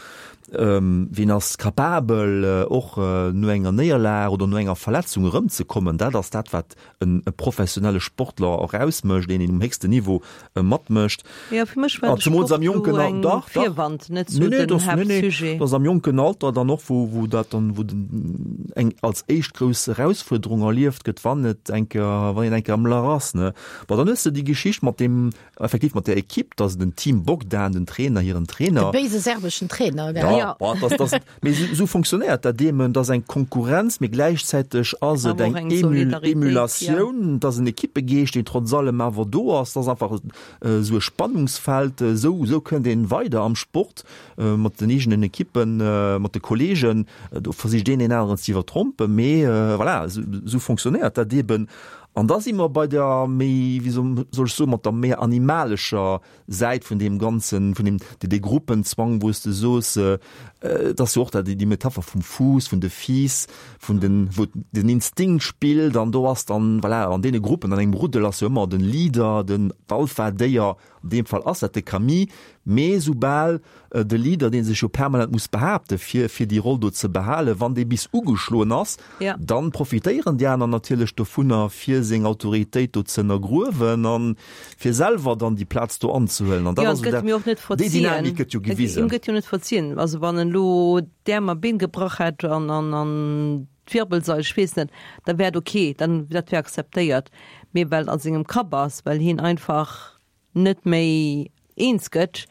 ween ass capabel och no enger Néierlag oder no enger Verletzung erëmzekommen. Dat ass dat, wat e professionelle Sportler och ausmécht, een, deen um héchsten Niveau matmécht. Jo, fir mech war de Sport do eng Virwand, net sou den Haaptsujet. Dat ass am jonken Alter dann och, wou, wou dat dann, wou den eng als éischt grouss Erausfuerderung erlieft gëtt, wann et eng Kéier, wann een eng Kéier am Lach ass, ne. Bon, dann hues de déi Geschicht mat deem, effektiv mat der Equipe, dass den Team Bogdan, den Trainer, hiren Trainer. De béise serbeschen Trainer, gell? Ja, bon, dass, dass, Mee esou fonctionnéiert dat eeben, et ass eng Konkurrenz, mee gläichzäiteg ass et eng Emulatioun, et ass en Ekippegeescht, deen trotz allem awer do ass. Et ass einfach esou e Spannungsfeld. Esou, esou kënnt een weider am Sport mat den eegenen Ekippen, mat de Kolleegen. Do versicht een deen aneren ze iwwertrompen, mee voilà, esou fonctionnéiert dat eeben. An da si mer bei der méi, wéi soll ech soen, mat der méi animalescher Säit vun deem Ganzen, vun deem, dee Gruppenzwang, wou s de soos, et ass jo och dat, déi Metapher vum Fuuss, vun de Fiiss, vun den, wou den Instinkt spillt an do ass dann, voilà, an deene Gruppen, an engem Ruddel ass jo ëmmer den Leader, den, d'Alpha-Déier, an deem Fall ass dat de Camille, mee soubal de Leader, dee sech jo permanent muss behaapte fir, fir déi Roll do ze behalen, wann dee bis ugeschloen ass, Ja. Dann profitéieren déi aner natierlech dovunner, fir seng Autoritéit do ze ënnergruewen an fir selwer dann déi Plaz do anzehuelen. An dat Jo, ass et gëtt dat, em jo och net déi verzien. Dynamik gëtt jo Et, him gewisen. gëtt jo net verzien. Also wann en elo d'Äerm a Been gebrach hätt an, an, an. d'Wirbelsail, ech weess net, da wär et ok, dann dat wär akzeptéiert, mee well et a sengem Kapp ass, well hien einfach net méi eens gëtt,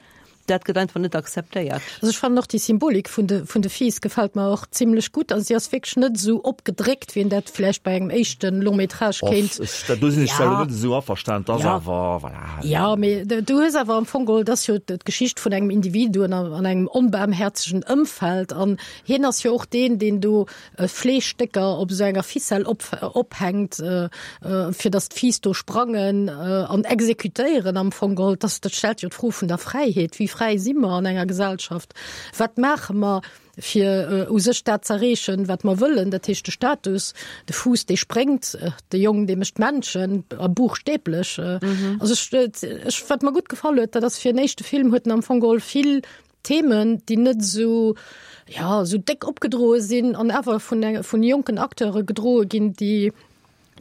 dat gëtt einfach net akzeptéiert. Also ech fannen och déi Symbolik vun de vun de Fiiss gefält mer och zimlech gutt. Also si ass wierklech net esou opgedréckt, wéi een dat vläicht bei engem éischte Long métrage kéint. Och, do sinn ech zwar elo net esou averstanen, et ass awer, voilà. Jo, mee du hues awer am Fong geholl, et ass jo d'Geschicht vun engem Individu an engem onbaarmhäerzegen Ëmfeld an hien ass jo och deen, deen do Fleeschstécker op esou enger Ficelle op, ophänkt, fir datt d'Fiiss do sprangen an exekutéieren am Fong geholl. Dat, dat stellt jo d'Fro vun der Fräiheet. Wéi fräi si mer an enger Gesellschaft? Wat maache mer, fir u sech dat z'erreechen, wat mer wëllen? Dat heescht de Status, de Fuuss, dee spréngt, de Jong, dee mécht d'Männchen, a buchstäblech. Also ech, ech, wat mer gutt gefall huet, dat ass fir en éischte Film huet en am Fong geholl vill Themen, déi net esou, ja, esou déck opgedroe sinn an awer vun enge, vun jonken Acteure gedroe ginn, déi,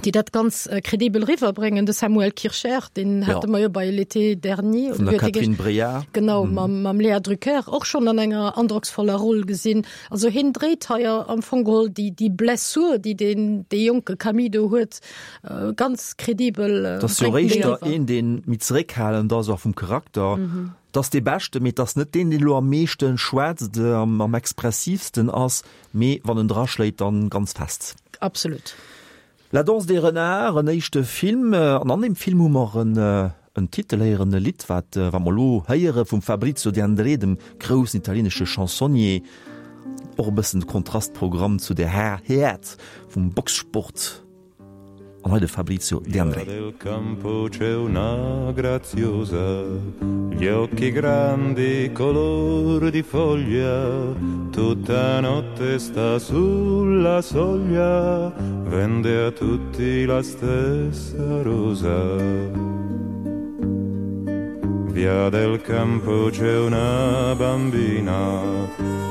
déi dat ganz kredibel eriwwerbréngen. De Samuel Kircher, deen hate mer jo bei L'été dernier, Vun der Catherine Breillat. Genau, mam, mam Léa Drucker och schonn an enger androcksvoller Roll gesinn. Also hien dréit hei am Fong geholl déi, déi Blessur, déi deen, dee jonke Camille do huet, ganz kredibel. Dat ass jo éischter een, dee méi zeréckhalend ass, och vum Charakter. 't ass dee Beschten, mee 't ass net deen, deen elo am meeschten schwätzt, am expressivsten ass, mee wann en draschléit, dann ganz fest. Absolut. La danse des renards, en éischte Film, an an deem Film hu mer en Titel héieren, e Lidd, wat wat mer elo héiere vum Fabrizio De André, dem groussen italienesche Chansonnier, och e bëssen de Kontrastprogramm zu der Häert vum Boxsport. An hei de Fabrizio De André. Via del campo c'è una graziosa, gli occhi grandi color di foglia, tutta notte sta sulla soglia, vende a tutti la stessa rosa. Via del campo c'è una bambina,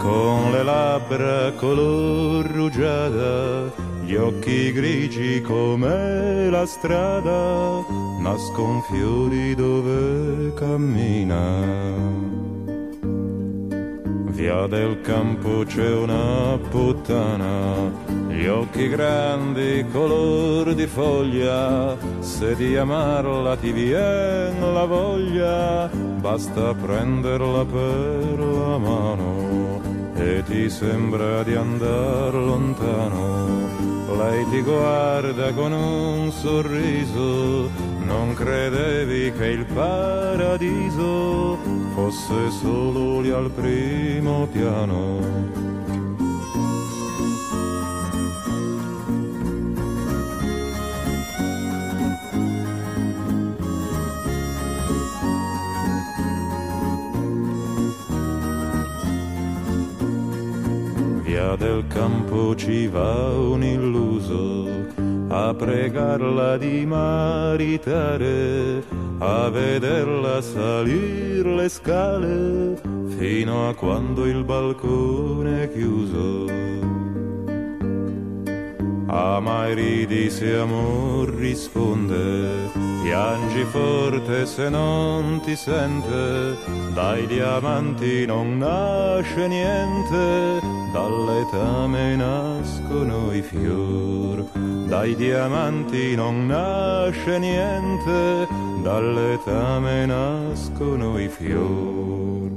con le labbra color rugiada, Gli occhi grigi come la strada, nascon fiori dove cammina. Via del campo c'è una puttana, gli occhi grandi color di foglia, se di amarla ti vien la voglia, basta prenderla per la mano e ti sembra di andar lontano. Lei ti guarda con un sorriso, non credevi che il paradiso fosse solo lì al primo piano. Via del campo ci va un illuso a pregarla di maritare, a vederla salir le scale fino a quando il balcone è chiuso. Ama e ridi se amor risponde, piangi forte se non ti sente, dai diamanti non nasce niente, dall'etame nascono i fior. Dai diamanti non nasce niente, dall'etame nascono i fior.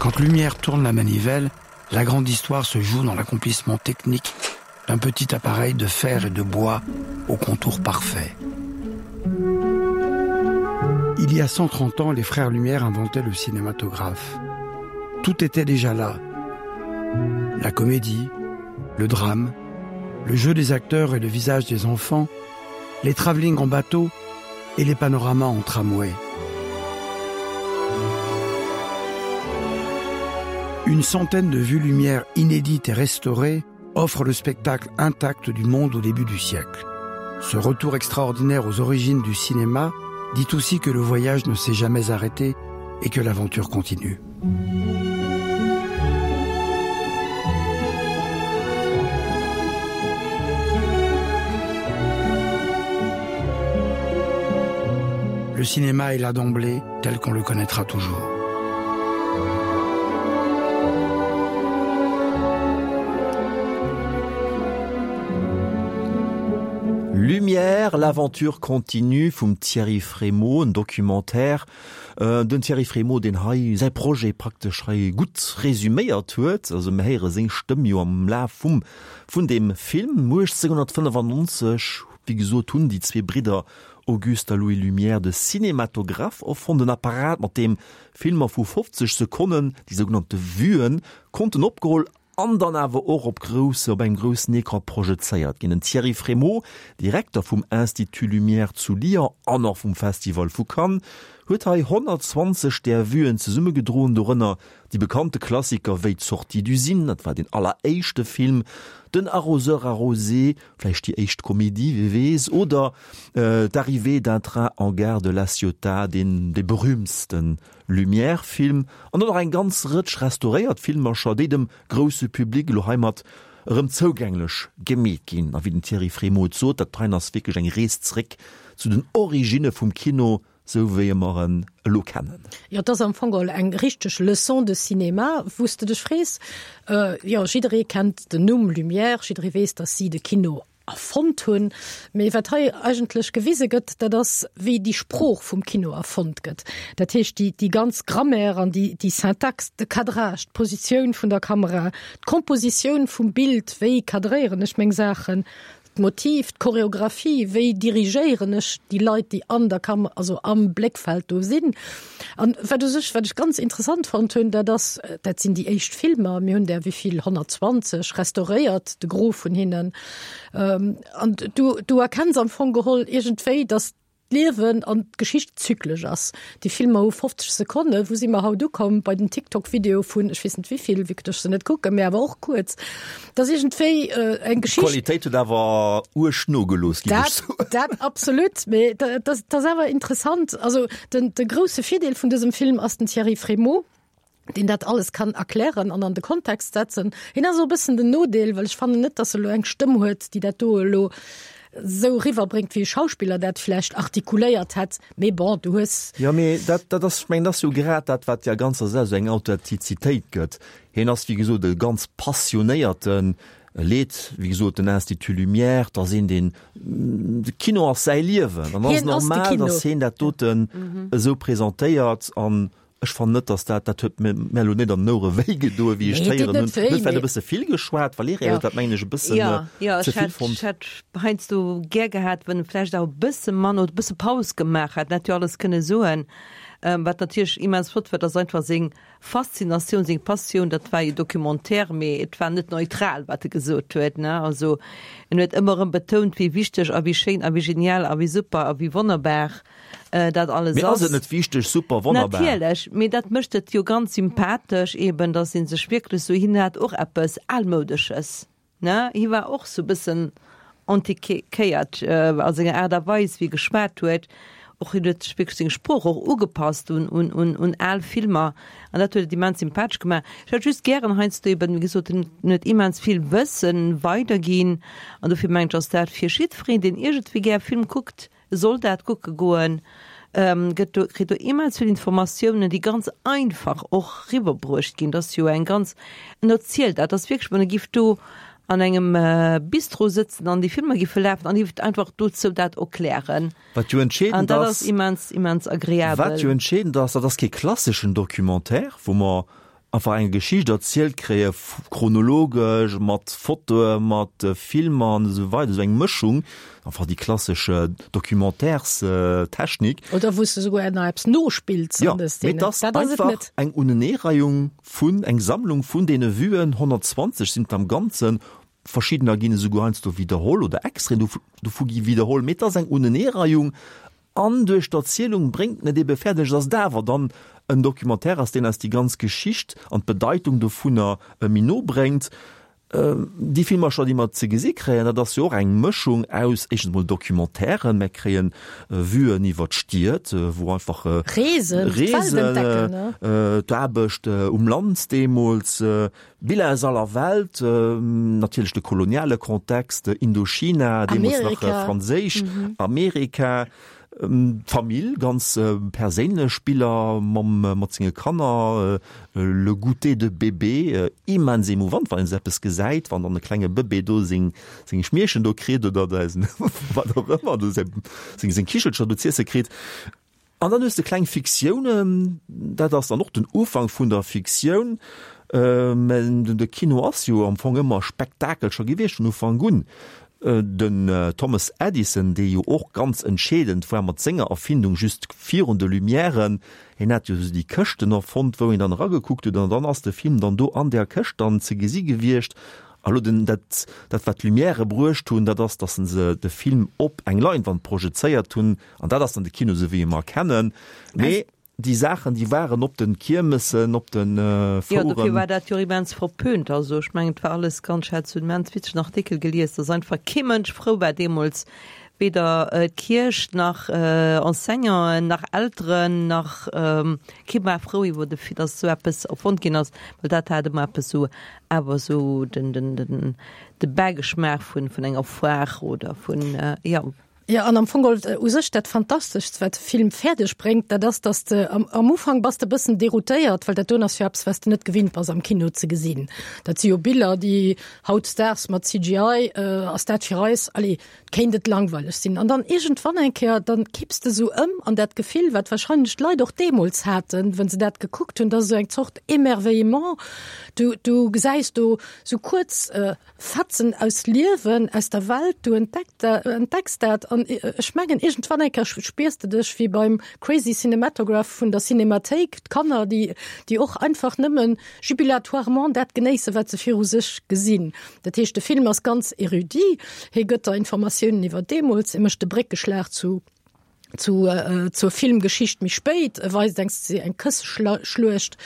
Quand Lumière tourne la manivelle, la grande histoire se joue dans l'accomplissement technique d'un petit appareil de fer et de bois au contour parfait. Il y a 130 ans, les frères Lumière inventaient le cinématographe. Tout était déjà là. La comédie, le drame, le jeu des acteurs et le visage des enfants, les travelling en bateau et les panoramas en tramway. Une centaine de vues lumière inédites et restaurées offre le spectacle intact du monde au début du siècle. Ce retour extraordinaire aux origines du cinéma dit aussi que le voyage ne s'est jamais arrêté et que l'aventure continue. Le cinéma est là d'emblée tel qu'on le connaîtra toujours. Lumière, l'aventure continue vum Thierry Frémaux, en Documentaire. Den Thierry Frémaux, deen hei säi Projet praktesch hei gutt resuméiert huet. Also mir héiere seng Stëmm jo am Laf vum vun deem Film. 1895, wéi gesot, hunn déi zwee Bridder Auguste a Louis Lumière de Cinématographe erfonnt, en Apparat, mat deem Filmer vu 50 Sekonnen, déi sougenannte Vuen, konnten opgeholl an dann awer och op grousse, op engem groussen Ecran projezéiert ginn. Den Thierry Frémaux, Direkter vum Institut Lumière zu Lyon an och vum Festival vu Cannes, huet hei 120 där Vuen zesummegedroen, dorënner déi bekannte Klassiker wéi D'Sortie d'usine, dat war deen alleréischte Film, Den Arroseur arrosé, vläicht déi éischt Komedie, wie weess, oder D'Arrivée d'un train en gare de La Ciotat, deen dee berühmtste Lumière-Film, an dann och eng ganz Rëtsch restauréiert Filmercher, déi dem grousse Public elo heimat erëm zougänglech gemeet ginn. A wéi den Thierry Frémaux et sot, dat heien ass wierklech eng Rees zréck zu den Originne vum Kino, sou wéi mer en elo kennen. Jo, et ass am Fong geholl eng richteg Leçon de cinéma, wou s de dech frees, jo, jidderee kennt den Numm Lumière, jidderee weess, datt si de Kino erfonnt hunn, mee wat hei eigentlech gewise gëtt, dat ass, wéi déi Sprooch vum Kino erfonnt gëtt. Dat heescht, déi, déi ganz Grammaire an déi, déi Syntax, de Cadrage, d'Positioun vun der Kamera, d'Kompositioun vum Bild, wéi cadréieren ech meng Saachen, D'Motiv, d'Choreographie, wéi dirigéieren ech déi Leit, déi an der Kam also am Bléckfeld do sinn. An wat u sech, wat ech ganz interessant fonnt hunn, dat ass, dat sinn déi éischt Filmer, mir hunn der wéi vill, 120 restauréiert, de Gros vun hinnen. An du, du erkenns am Fong geholl iergendwéi, datt d'Liewen an d'Geschicht zyklesch ass. Déi Filmer hu 50 Sekonnen. Wou si mer haut ukomm bei den TikTok-Videoe vun ech weess net wéivill, vue que ech se net kucken, mä awer och kuerz. Dat ass iergendwéi eng Geschicht. D'Qualitéit huet awer uerg nogelooss, géif ech soen. Dat absolut, mä dat ass awer interessant. Also den de grousse Virdeel vun dësem Film ass den Thierry Frémaux. deen dat alles kann erklären an an de Kontext setzen. Hien ass och e bëssen den Nodeel, well ech fannen net, datt e lo eng Stëmm huet, déi dat do elo esou eriwwerbréngt, wéi e Schauspiller dat vläicht artikuléiert hätt. Mee bon, du hues. Jo, mee dat, dat ass, ech mengen, dat ass jo grad dat, wat der ganzer Saach esou eng Authentizitéit gëtt. Hien ass, wéi gesot, e ganz passionéierten, e leet, wéi gesot, den Institut Lumière, 't ass een, deen, de Kino ass säi Liewen an ass normal, datt hien dat doten esou presentéiert an Ech fannen net, dass dat, dat huet mir mir elo net an den Ouere wéi gedoen, wéi ech Nee, d'héieren deet hunn. net wéi, Huet vläicht e mee. bësse vill geschwat. D'Valerija Ja. huet dat, mengen ech, e bëssen Ja, ja, ze ech vill hätt, fonnt. ech hätt heiansdo gär gehat, wann e vläicht awer e bësse manner oder e bësse Paus gemaach hätt. En hätt jo alles kënne soen. Wat natierlech immens flott war, dat ass einfach seng Faszinatioun, seng Passioun. Dat war jo Documentaire, mee et war net neutral, wat e gesot huet, ne. Also en huet ëmmer erëm betount, wéi wichteg a wéi schéin a wéi genial a wéi super a wéi wonnerbar dat alles Mee ass ass. et net wichteg, super, wonnerbar? Natierlech, mee dat mécht et jo ganz sympathesch eben, datt ee sech wierklech esou, hien hat och eppes Almoudesches, ne, hie war och esou e bëssen antiquéiert a senger Aart a Weis wéi e geschwat huet, och hien huet sech wierklech seng Sprooch och ugepasst un, un, un, un al Filmer an dat huet et immens sympathesch gemaach. Ech hätt just gären heiansdo eben, wéi gesot, en huet immens vill Wëssen weiderginn an dofir mengen ech ass dat fir jiddwereen, deen iergendwéi gär Film kuckt, Soll dat kucke goen, gëtt do, kritt do immens vill Informatiounen, déi ganz einfach och riwwerbruecht ginn. Dat ass jo eng ganz, en erzielt dat, dat ass wierklech, wann e giff do an engem Bistro sëtzen an déi Filmer giffe lafen an hie einfach dozou dat erklären. Wat jo An entscheedend dat ass ass, immens, immens wat agreabel. jo entscheedend ass, dat ass kee klasseschen Documentaire, wou mer einfach eng Geschicht erzielt kréie chronologesch mat Fotoe mat Filmer an esou weider, esou eng Mëschung, einfach déi klassesch Documentaires-Technik. Oder wou s de souguer nach eppes nospills Jo, an de mee Szenen. et ass Dat ass et einfach net. eng Uneneereihung vun, eng Sammlung vun deene Vuen, 120 sinn et am Ganzen, verschiddener ginn esouguer heiansdo widderholl oder Extraiten dovu gi widderholl, mee et ass eng Uneneereihung An duerch d'Erzielung bréngt en et ebe fäerdeg, dass et awer dann en Documentaire ass, deen eis déi ganz Geschicht an d'Bedeitung dovunner méi no bréngt. Déi Filmercher, déi mer ze gesi kréien, dat ass jo och eng Mëschung aus éischtens emol Documentairen, mer kréie Vuen iwwer d'Stied, wou einfach Reesen, d'Welt entdecken, Reesen, d'Aarbecht um Land deemools, Biller aus aller Welt, natierlech de koloniale Kontext, Indochina, deemools nach Amerika. franséisch, Amerika. D'Famill, ganz perséinlech Biller mam mat senge Kanner, le goûter de bébé, immens émouvant, wann een esou eppes gesäit, wann dann e klenge Bëbee do seng seng Schmierchen do kritt oder wat och ëmmer, do seng seng Kichelcher do z'iesse kritt. An dann hues de kleng Fiktiounen, dat ass dann och den Ufank vun der Fiktioun, mä de Kino ass jo am Fong ëmmer Spektakel scho gewiescht vun Ufank un. Den Thomas Edison, dee jo och ganz entscheedend war mat senger Erfindung just virun de Lumièren, hien hat jo esou déi Këschten erfonnt, wou een dann eragekuckt huet an dann ass de Film dann do an där Këscht dann ze gesi gewiescht. A lo den, dat, dat wat d'Lumièrë bruecht hunn, dat ass, datt se de Film op eng Leinwand projezéiert hunn an dat ass dann de Kino esou wéi e mer kennen. Mee Déi Saachen, déi waren op de Kiermessen, op de Fouren. Jo, dofir war dat jo och immens verpönt. Also ech mengen, et war alles ganz, ech hat esou en immens witzegen Artikel gelies, dass einfach kee Mënsch frou war deemools, weder d'Kierch nach Enseignanten nach Elteren nach, kee war frou iwwer de Fait, dass esou eppes erfonnt ginn ass, well dat hat ëmmer eppes esou awer esou den, den, den, de Bäigeschmaach vun, vun enger Foire oder vun, jo. Jo, an am Fong geholl u sech dat Fantasteschst, wat de Film fäerdeg bréngt, dat ass, dass de am, am Ufank bass de e bëssen deroutéiert, well dat doen ass jo eppes, wat s de net gewinnt bass am Kino ze gesinn. Dat si jo Biller, déi hautdesdaags mat CGI ass dat fir eis, allez, kéint et langweileg sinn. An dann iergendwann eng Kéier, dann kipps de sou ëm an dat Gefill, wat wahrscheinlech d'Leit och deemools haten, wa se dat gekuckt hunn, dat ass esou eng Zort Émerveillement. Du, du gesäis do sou kuerz, Fetzen aus Liewen, aus der Welt, du entdecks dat an ech mengen iergendwann eng Kéier spiers de dech wéi beim Crazy Cinematograph vun der Cinémathéik, d'Kanner, déi déi och einfach nëmmen jubilatoirement dat genéissen, wat se viru sech gesinn. Dat heescht, de Film ass ganz érudit, hie gëtt der Informatiounen iwwer deemools, e mécht de Bréckeschlag zu zu äh, zur Filmgeschicht méi spéit, e weist eng eng Kësseschluecht,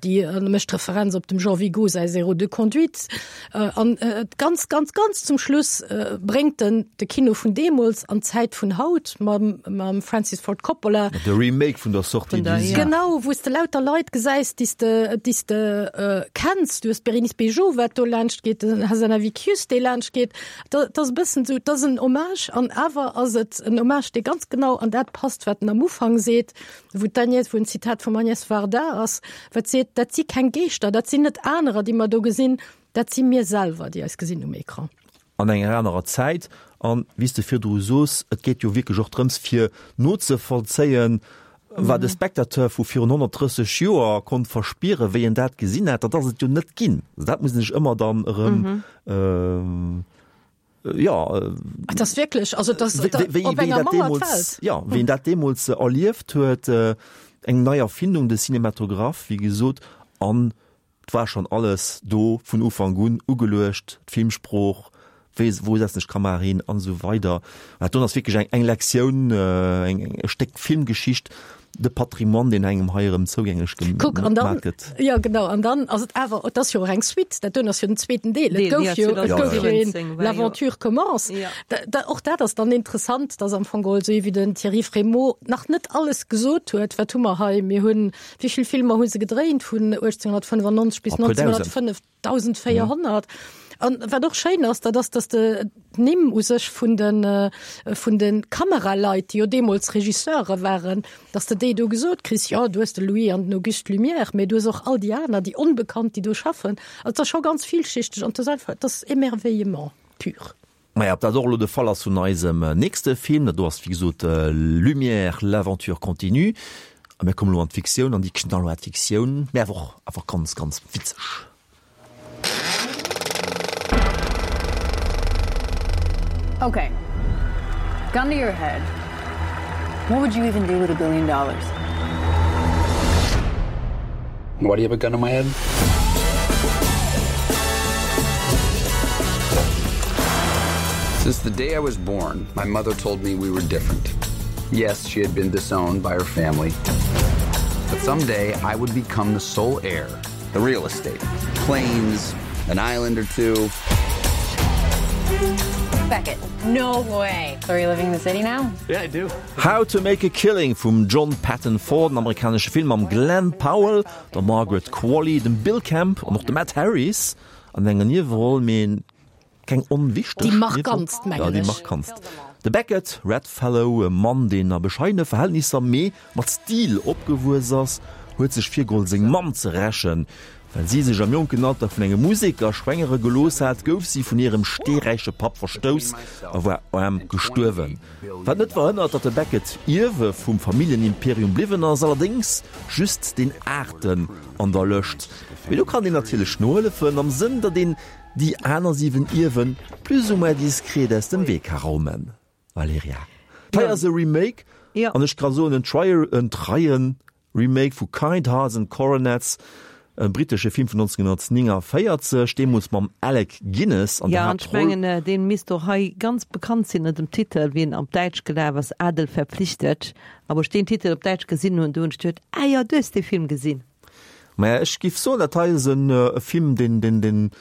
déi äh, mécht Referenz op dem Jean Vigo säi Zéro de conduite. Äh, an äh, ganz ganz ganz zum Schluss äh, bréngt den de Kino vun deemools an d'Zäit vun haut mam, mam Francis Ford Coppola. De Remake vun der Sortie du Zig. Genau, wou s de lauter Leit gesäis, déi s de, déi s de äh, kenns. Du hues d'Bérénice Bejo, wat do laanscht geet, den Hazanavicius, dee laanscht geet. Dat ass e bëssen esou, dat ass en Hommage an awer ass et en Hommage, dee ganz genau an dat passt, wat en am Ufank seet, wou d'Agnès, wou en Zitat vum Agnès Varda ass, wat seet, dat si keng Geeschter, dat sinn net anerer, déi mer do gesinn, dat si mir selwer, déi eis gesinn um Ecran. An enger anerer Zäit. An, wéi s de virdru sos, et geet jo wierklech och drëms, fir nozevollzéien, Wat e Spectateur vu virun 130 Joer konnt verspieren, wéi en dat gesinn hat, dat ass et jo net ginn. Dat muss een sech ëmmer dann erëm, jo. Et ass wierklech, also et ass op enger Mauer d'Welt. Jo, wéi en dat deemools erlieft huet, eng nei Erfindung, de Cinématographe, wéi gesot, an 't war schon alles do vun Ufank un ugeluecht, d'Filmsprooch, wéi, wou setzen ech d'Kamera hin an esou weider. Dat doen ass wierklech eng, eng Lektioun, eng, e Stéck Filmgeschicht, de Patrimoine, deen engem hei erëm zougänglech Kuck, an dann, gemaat gëtt. jo genau, an dann ass et awer, et ass jo och eng Suite, dat doen ass jo den zweeten Deel, et gouf jo, et gouf jo een L'aventure commence. Da, da, och dat ass dann interessant, dass am Fong geholl, esou wéi den Thierry Frémaux nach net alles gesot huet, wat hu mer hei, mir hunn Wéi vill Filmer hu se gedréint vun 1895 bis 1905? 1400. An wat och schéin ass, dat ass, datt de d'Nimm u sech vun de vun de Kameraleit, déi jo deemools Regisseure waren, datt de déi do gesot kriss, jo du hues de Louis an den Auguste Lumière, mee du hues och all déi aner, déi Onbekannt, déi do schaffen. Also et ass scho ganz villschichteg an et ass einfach, et ass Émerveillement pur. Maja, ob dat och elo de Fall ass vun eisem nächste Film, dat do ass wéi gesot Lumière, l'aventure continue. A mir kommen elo an d'Fiktioun, an déi knallhaart Fiktioun, mä awer och einfach ganz, ganz witzeg. Okay, gun to your head, what would you even do with a billion dollars? Why do you have a gun in my head? Since the day I was born, my mother told me we were different. Yes, she had been disowned by her family. But someday I would become the sole heir, the real estate, planes, an island or two. Beckett, no way. So are you living in the city now? Yeah, I do. How to Make a Killing vum John Patton Ford, en amerikanesche Film mam Glen Powell, der Margaret Qualley, dem Bill Camp an och dem Ed Harris an enger Nieweroll, mee keng onwichteg Déi markantst, mengen ech. Ja, déi ech. markantst. De Beckett Redfellow, e Mann deen a bescheidene Verhältnisser mee mat Stil opgewuess ass, huet sech virgeholl seng Mamm ze rächen. Well si sech am jonken Alter vun engem Museker schwängere gelooss hat, gouf si vun hirem steeräiche Papp verstouss a war aarm gestuerwen. Wat net verhënnert, datt de Beckett Ierwe vum Familljenimperium bliwwen ass, allerdéngs just deen aachten an der Lëscht. Mee do kann een natierlech nohëllefen, am Sënn, datt een déi aner 7 Ierwe plus ou moins diskret aus dem Wee ka raumen. Valerija, Hei ass e Remake, an ech ka soen en treien Remake vu Kind Hearts and Coronets, e brittesche Film vun 1949, deemools mam Alec Guinness an der Haaptroll. Jo, an ech mengen, dee misst och hei ganz bekannt sinn ënner dem Titel, wéi en op Däitsch gelaf ass, Adel verpflichtet. A wou ech deen Titel op Däitsch gesinn hunn, du hunn ech geduet, Ah jo, du hues dee Film gesinn. Maja, ech giff soen, dat hei ass e Film, deen, deen, deen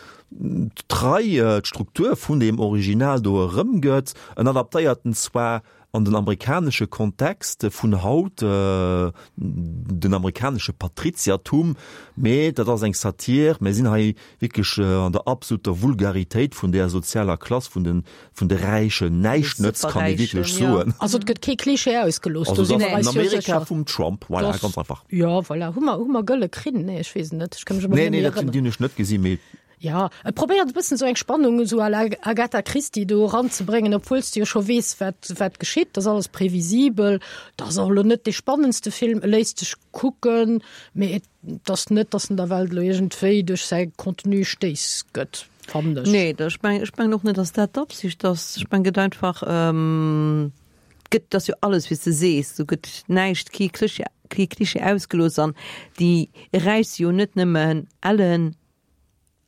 trei d'Struktur vun deem Original do erëmgëtt. En adaptéiert en zwar an den amerikanesche Kontext vun haut, den amerikanesche Patriziertum, mee dat ass eng Satir. Mir sinn hei wierklech an der absoluter Vulgaritéit vun där sozialer Klass vun de, vun de Räichen. Näischt nëtzt, kann ee wierklech soen. Also et gëtt kee Klischee ausgelooss, do si mer eis jo sécher. Amerika vum Trump, voilà, ganz einfach. Jo, voilà. Hu mer, hu mer gëlle Krinn? Nee, ech weess et net. Ech ka mech awer net méi erënneren. Nee, nee, dat hunn ech net gesinn, mee. Jo, e probéiert e bëssen esou eng Spannung esou à la Agatha Christie do eranzebréngen, obwuel s de jo scho weess, wat, wat geschitt. Dat ass alles previsibel. Dat ass och elo net dee spannendste Film. E léisst sech kucken, mee et ass net, datt en der Welt elo iergendwéi duerch säi Contenu Stéiss gëtt, fannen ech. Nee, ech mengen, ech mengen och net, datt dat d'Absicht ass. Ech mengen, et gëtt einfach, gëtt, et ass jo alles, wéi s de sees, do gëtt näischt, kee Klischee, kee Klischee ausgelooss an déi Räich si jo net nëmmen ellen,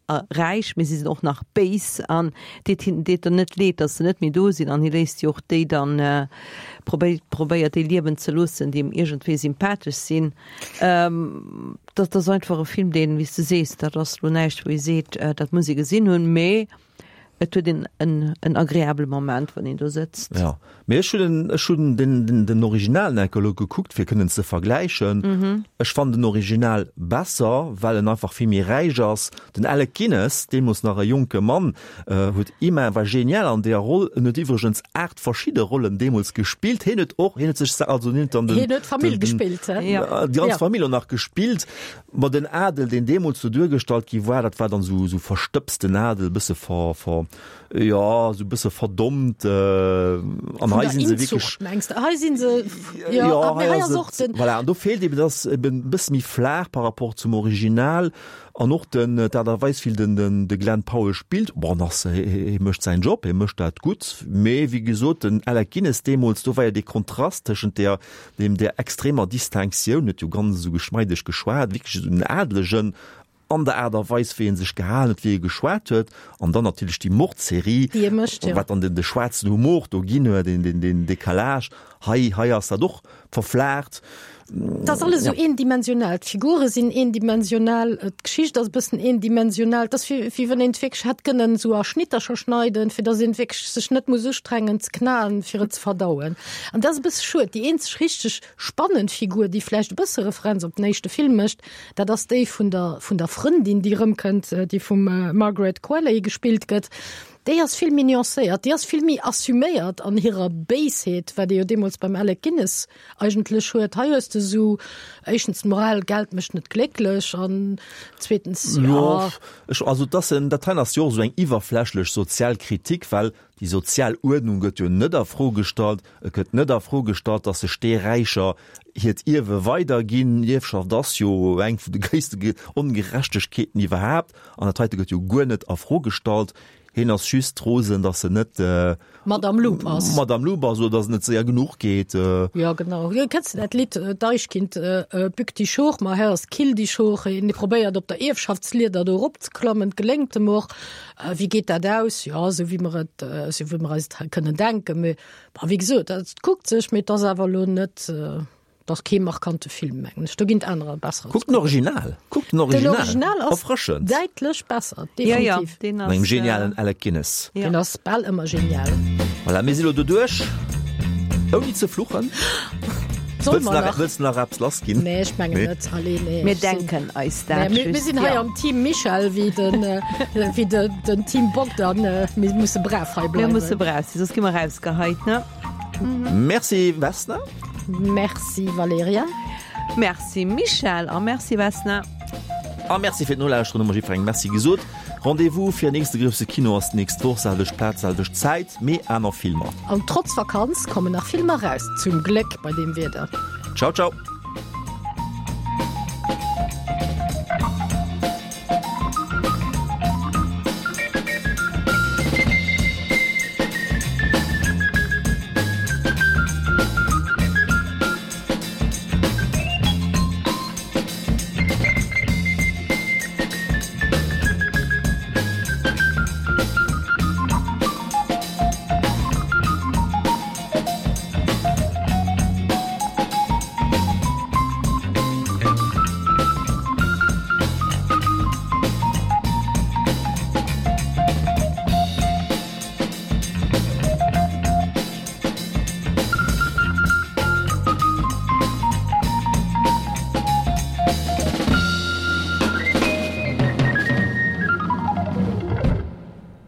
a räich, mee si sinn och nach béis an deet hinnen deet der net leed, datt se net méi do sinn an hie léisst jo och déi dann probéiert probéiert déi liewen ze loossen, déi em iergendwéi sympathesch sinn. Dat ass einfach e Film, deen, wéi s de sees, dat ass lo näischt, wou ee seet, dat muss ee gesinn hunn, mee Et huet een en, en agreabele Moment, wann een do sëtzt. Ja, mee ech hunn den, ech hunn den, den, den Original enke elo gekuckt, fir kënnen ze vergläichen. Mhm. Ech fannen den Original besser, well en einfach vill méi räich ass. Den Alec Guinness, deemools nach e jonke Mann, huet immen, war genial an deeër Roll. En huet iwwregens 8 verschidde Rollen deemools gespillt. Hien huet och, hien huet sech, also hien huet dann den, Hien huet d'Famill gespillt, hä? Ja. Déi ganz Famill och nach gespillt. Ma den Adel, deen deemools do duergestallt gi war, dat war dann esou esou verstëbsten Adel, e bësse ver, ver, jo, esou e bësse verdommt. An hei si se wierklech. Mengs de? Hei si se, jo, jo, hei ass och den. Voilà, an do feelt eben, dat ass eben e bësse méi flaach par rapport zum Original. An och den, d'Aart a Weis, wéi den, den, de Glenn Powell spillt, bon, ass, hie mécht säin Job, hie mécht dat gutt. Mee wéi gesot, den Alec Guinness deemools, do war jo dee Kontrast tëschent där Deem där extremer Distinctioun, huet jo ganz esou geschmeideg geschwat, wierklech esou den Adlegen an der Aart a Weis, wéi e sech gehalen huet, wéi e geschwat huet, an dann natierlech déi Mordserie, Déi e mécht, jo. wat dann den de schwaarzen Humor do ginn huet, deen, deen, deen Décalage. Hei, hei ass dat och verflaacht. Et ass alles esou eendimensional. D'Figure sinn eendimensional, d'Geschicht ass e bëssen eendimensional. Et ass wéi, wéi wann een et wierklech hätt kënnen esou a Schnittercher schneiden, fir datt een wierklech sech net muss ustrengen ze knaen, fir et ze verdauen. An dat ass e bësse schued. Déi eenzeg richteg spannend Figur, déi vläicht e bësse Referenz op den éischte Film mécht, dat ass déi vun der, vun der Frëndin, déi erëmkënnt, déi vum Margaret Qualley gespillt gëtt. Déi ass vill méi nuancéiert, déi ass vill méi assuméiert an hirer Béisheet, wat ee jo deemools beim Alec Guinness eigentlech huet. Hei hues de esou éischtens d'Moral, Geld mécht net glécklech an zweetens, jo. Jo, ech, also dass en, dat hei ass jo och esou eng iwwerflächlech sozial Kritik, well Déi sozial Uerdnung gëtt jo net a Fro gestallt. Et gëtt net a Fro gestallt, datt sech déi Räicher hiert Ierwe weiderginn. Ierfschaft ass jo eng vun de gréisste Ongerechtegkeeten iwwerhaapt. An dat heite gëtt jo guer net a Fro gestallt. Hien ass just rosen, datt en net Madame Loup ass. Madame Loup ass oder datt et net séier genuch geet. Jo, genau. Kenns de dat Lidd Deichkind, Bück dich hoch, ma Herr, kill dich hoch? Hien probéiert op der Ierfschaftslieder do eropzeklammen, et geléngt em och. Wéi geet dat aus? Jo, esou wéi mer et, esou wéi mer eis et kënnen denken. Mee bon, wéi gesot, dat kuckt sech, mee et ass awer elo net, et ass kee markante Film, mengen ech. Do ginn et anerer besserer. Kuckt den Original! Kuckt den Original! Den Original ass Erfrëschend. däitlech besser, definitiv. Ja, ja, Mat engem genialen Alec Guinness. Deen ass bal ëmmer genial. Voilà, mir si lo doduerch, ouni ze fluchen. Soll mer nach? Wëlls de nach eppes lass ginn? Nee, ech mengen net. Allez, nee. Mir denken eis dat just. Mir sinn hei am Team Michel wéi den, wéi de, den Team Bogdan. Mir musse brav hei bleiwen. Mir musse brav sinn, soss gi mer rausgeheit, ne? Merci Vesna. Merci Valerija. Merci Michèle a merci Vesna. A Merci fir d'Nolauschteren, hu mer jiddwerengem Merci gesot. Rendez-vous fir nächste grousse Kino ass d'nächst Woch, selwecht Plaz, selwecht Zäit, mee aner Filmer. An trotz Vakanz kommen nach Filmer raus, zum Gléck bei deem Wieder. Ciao ciao.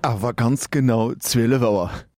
Awer ganz genau 12 Auer.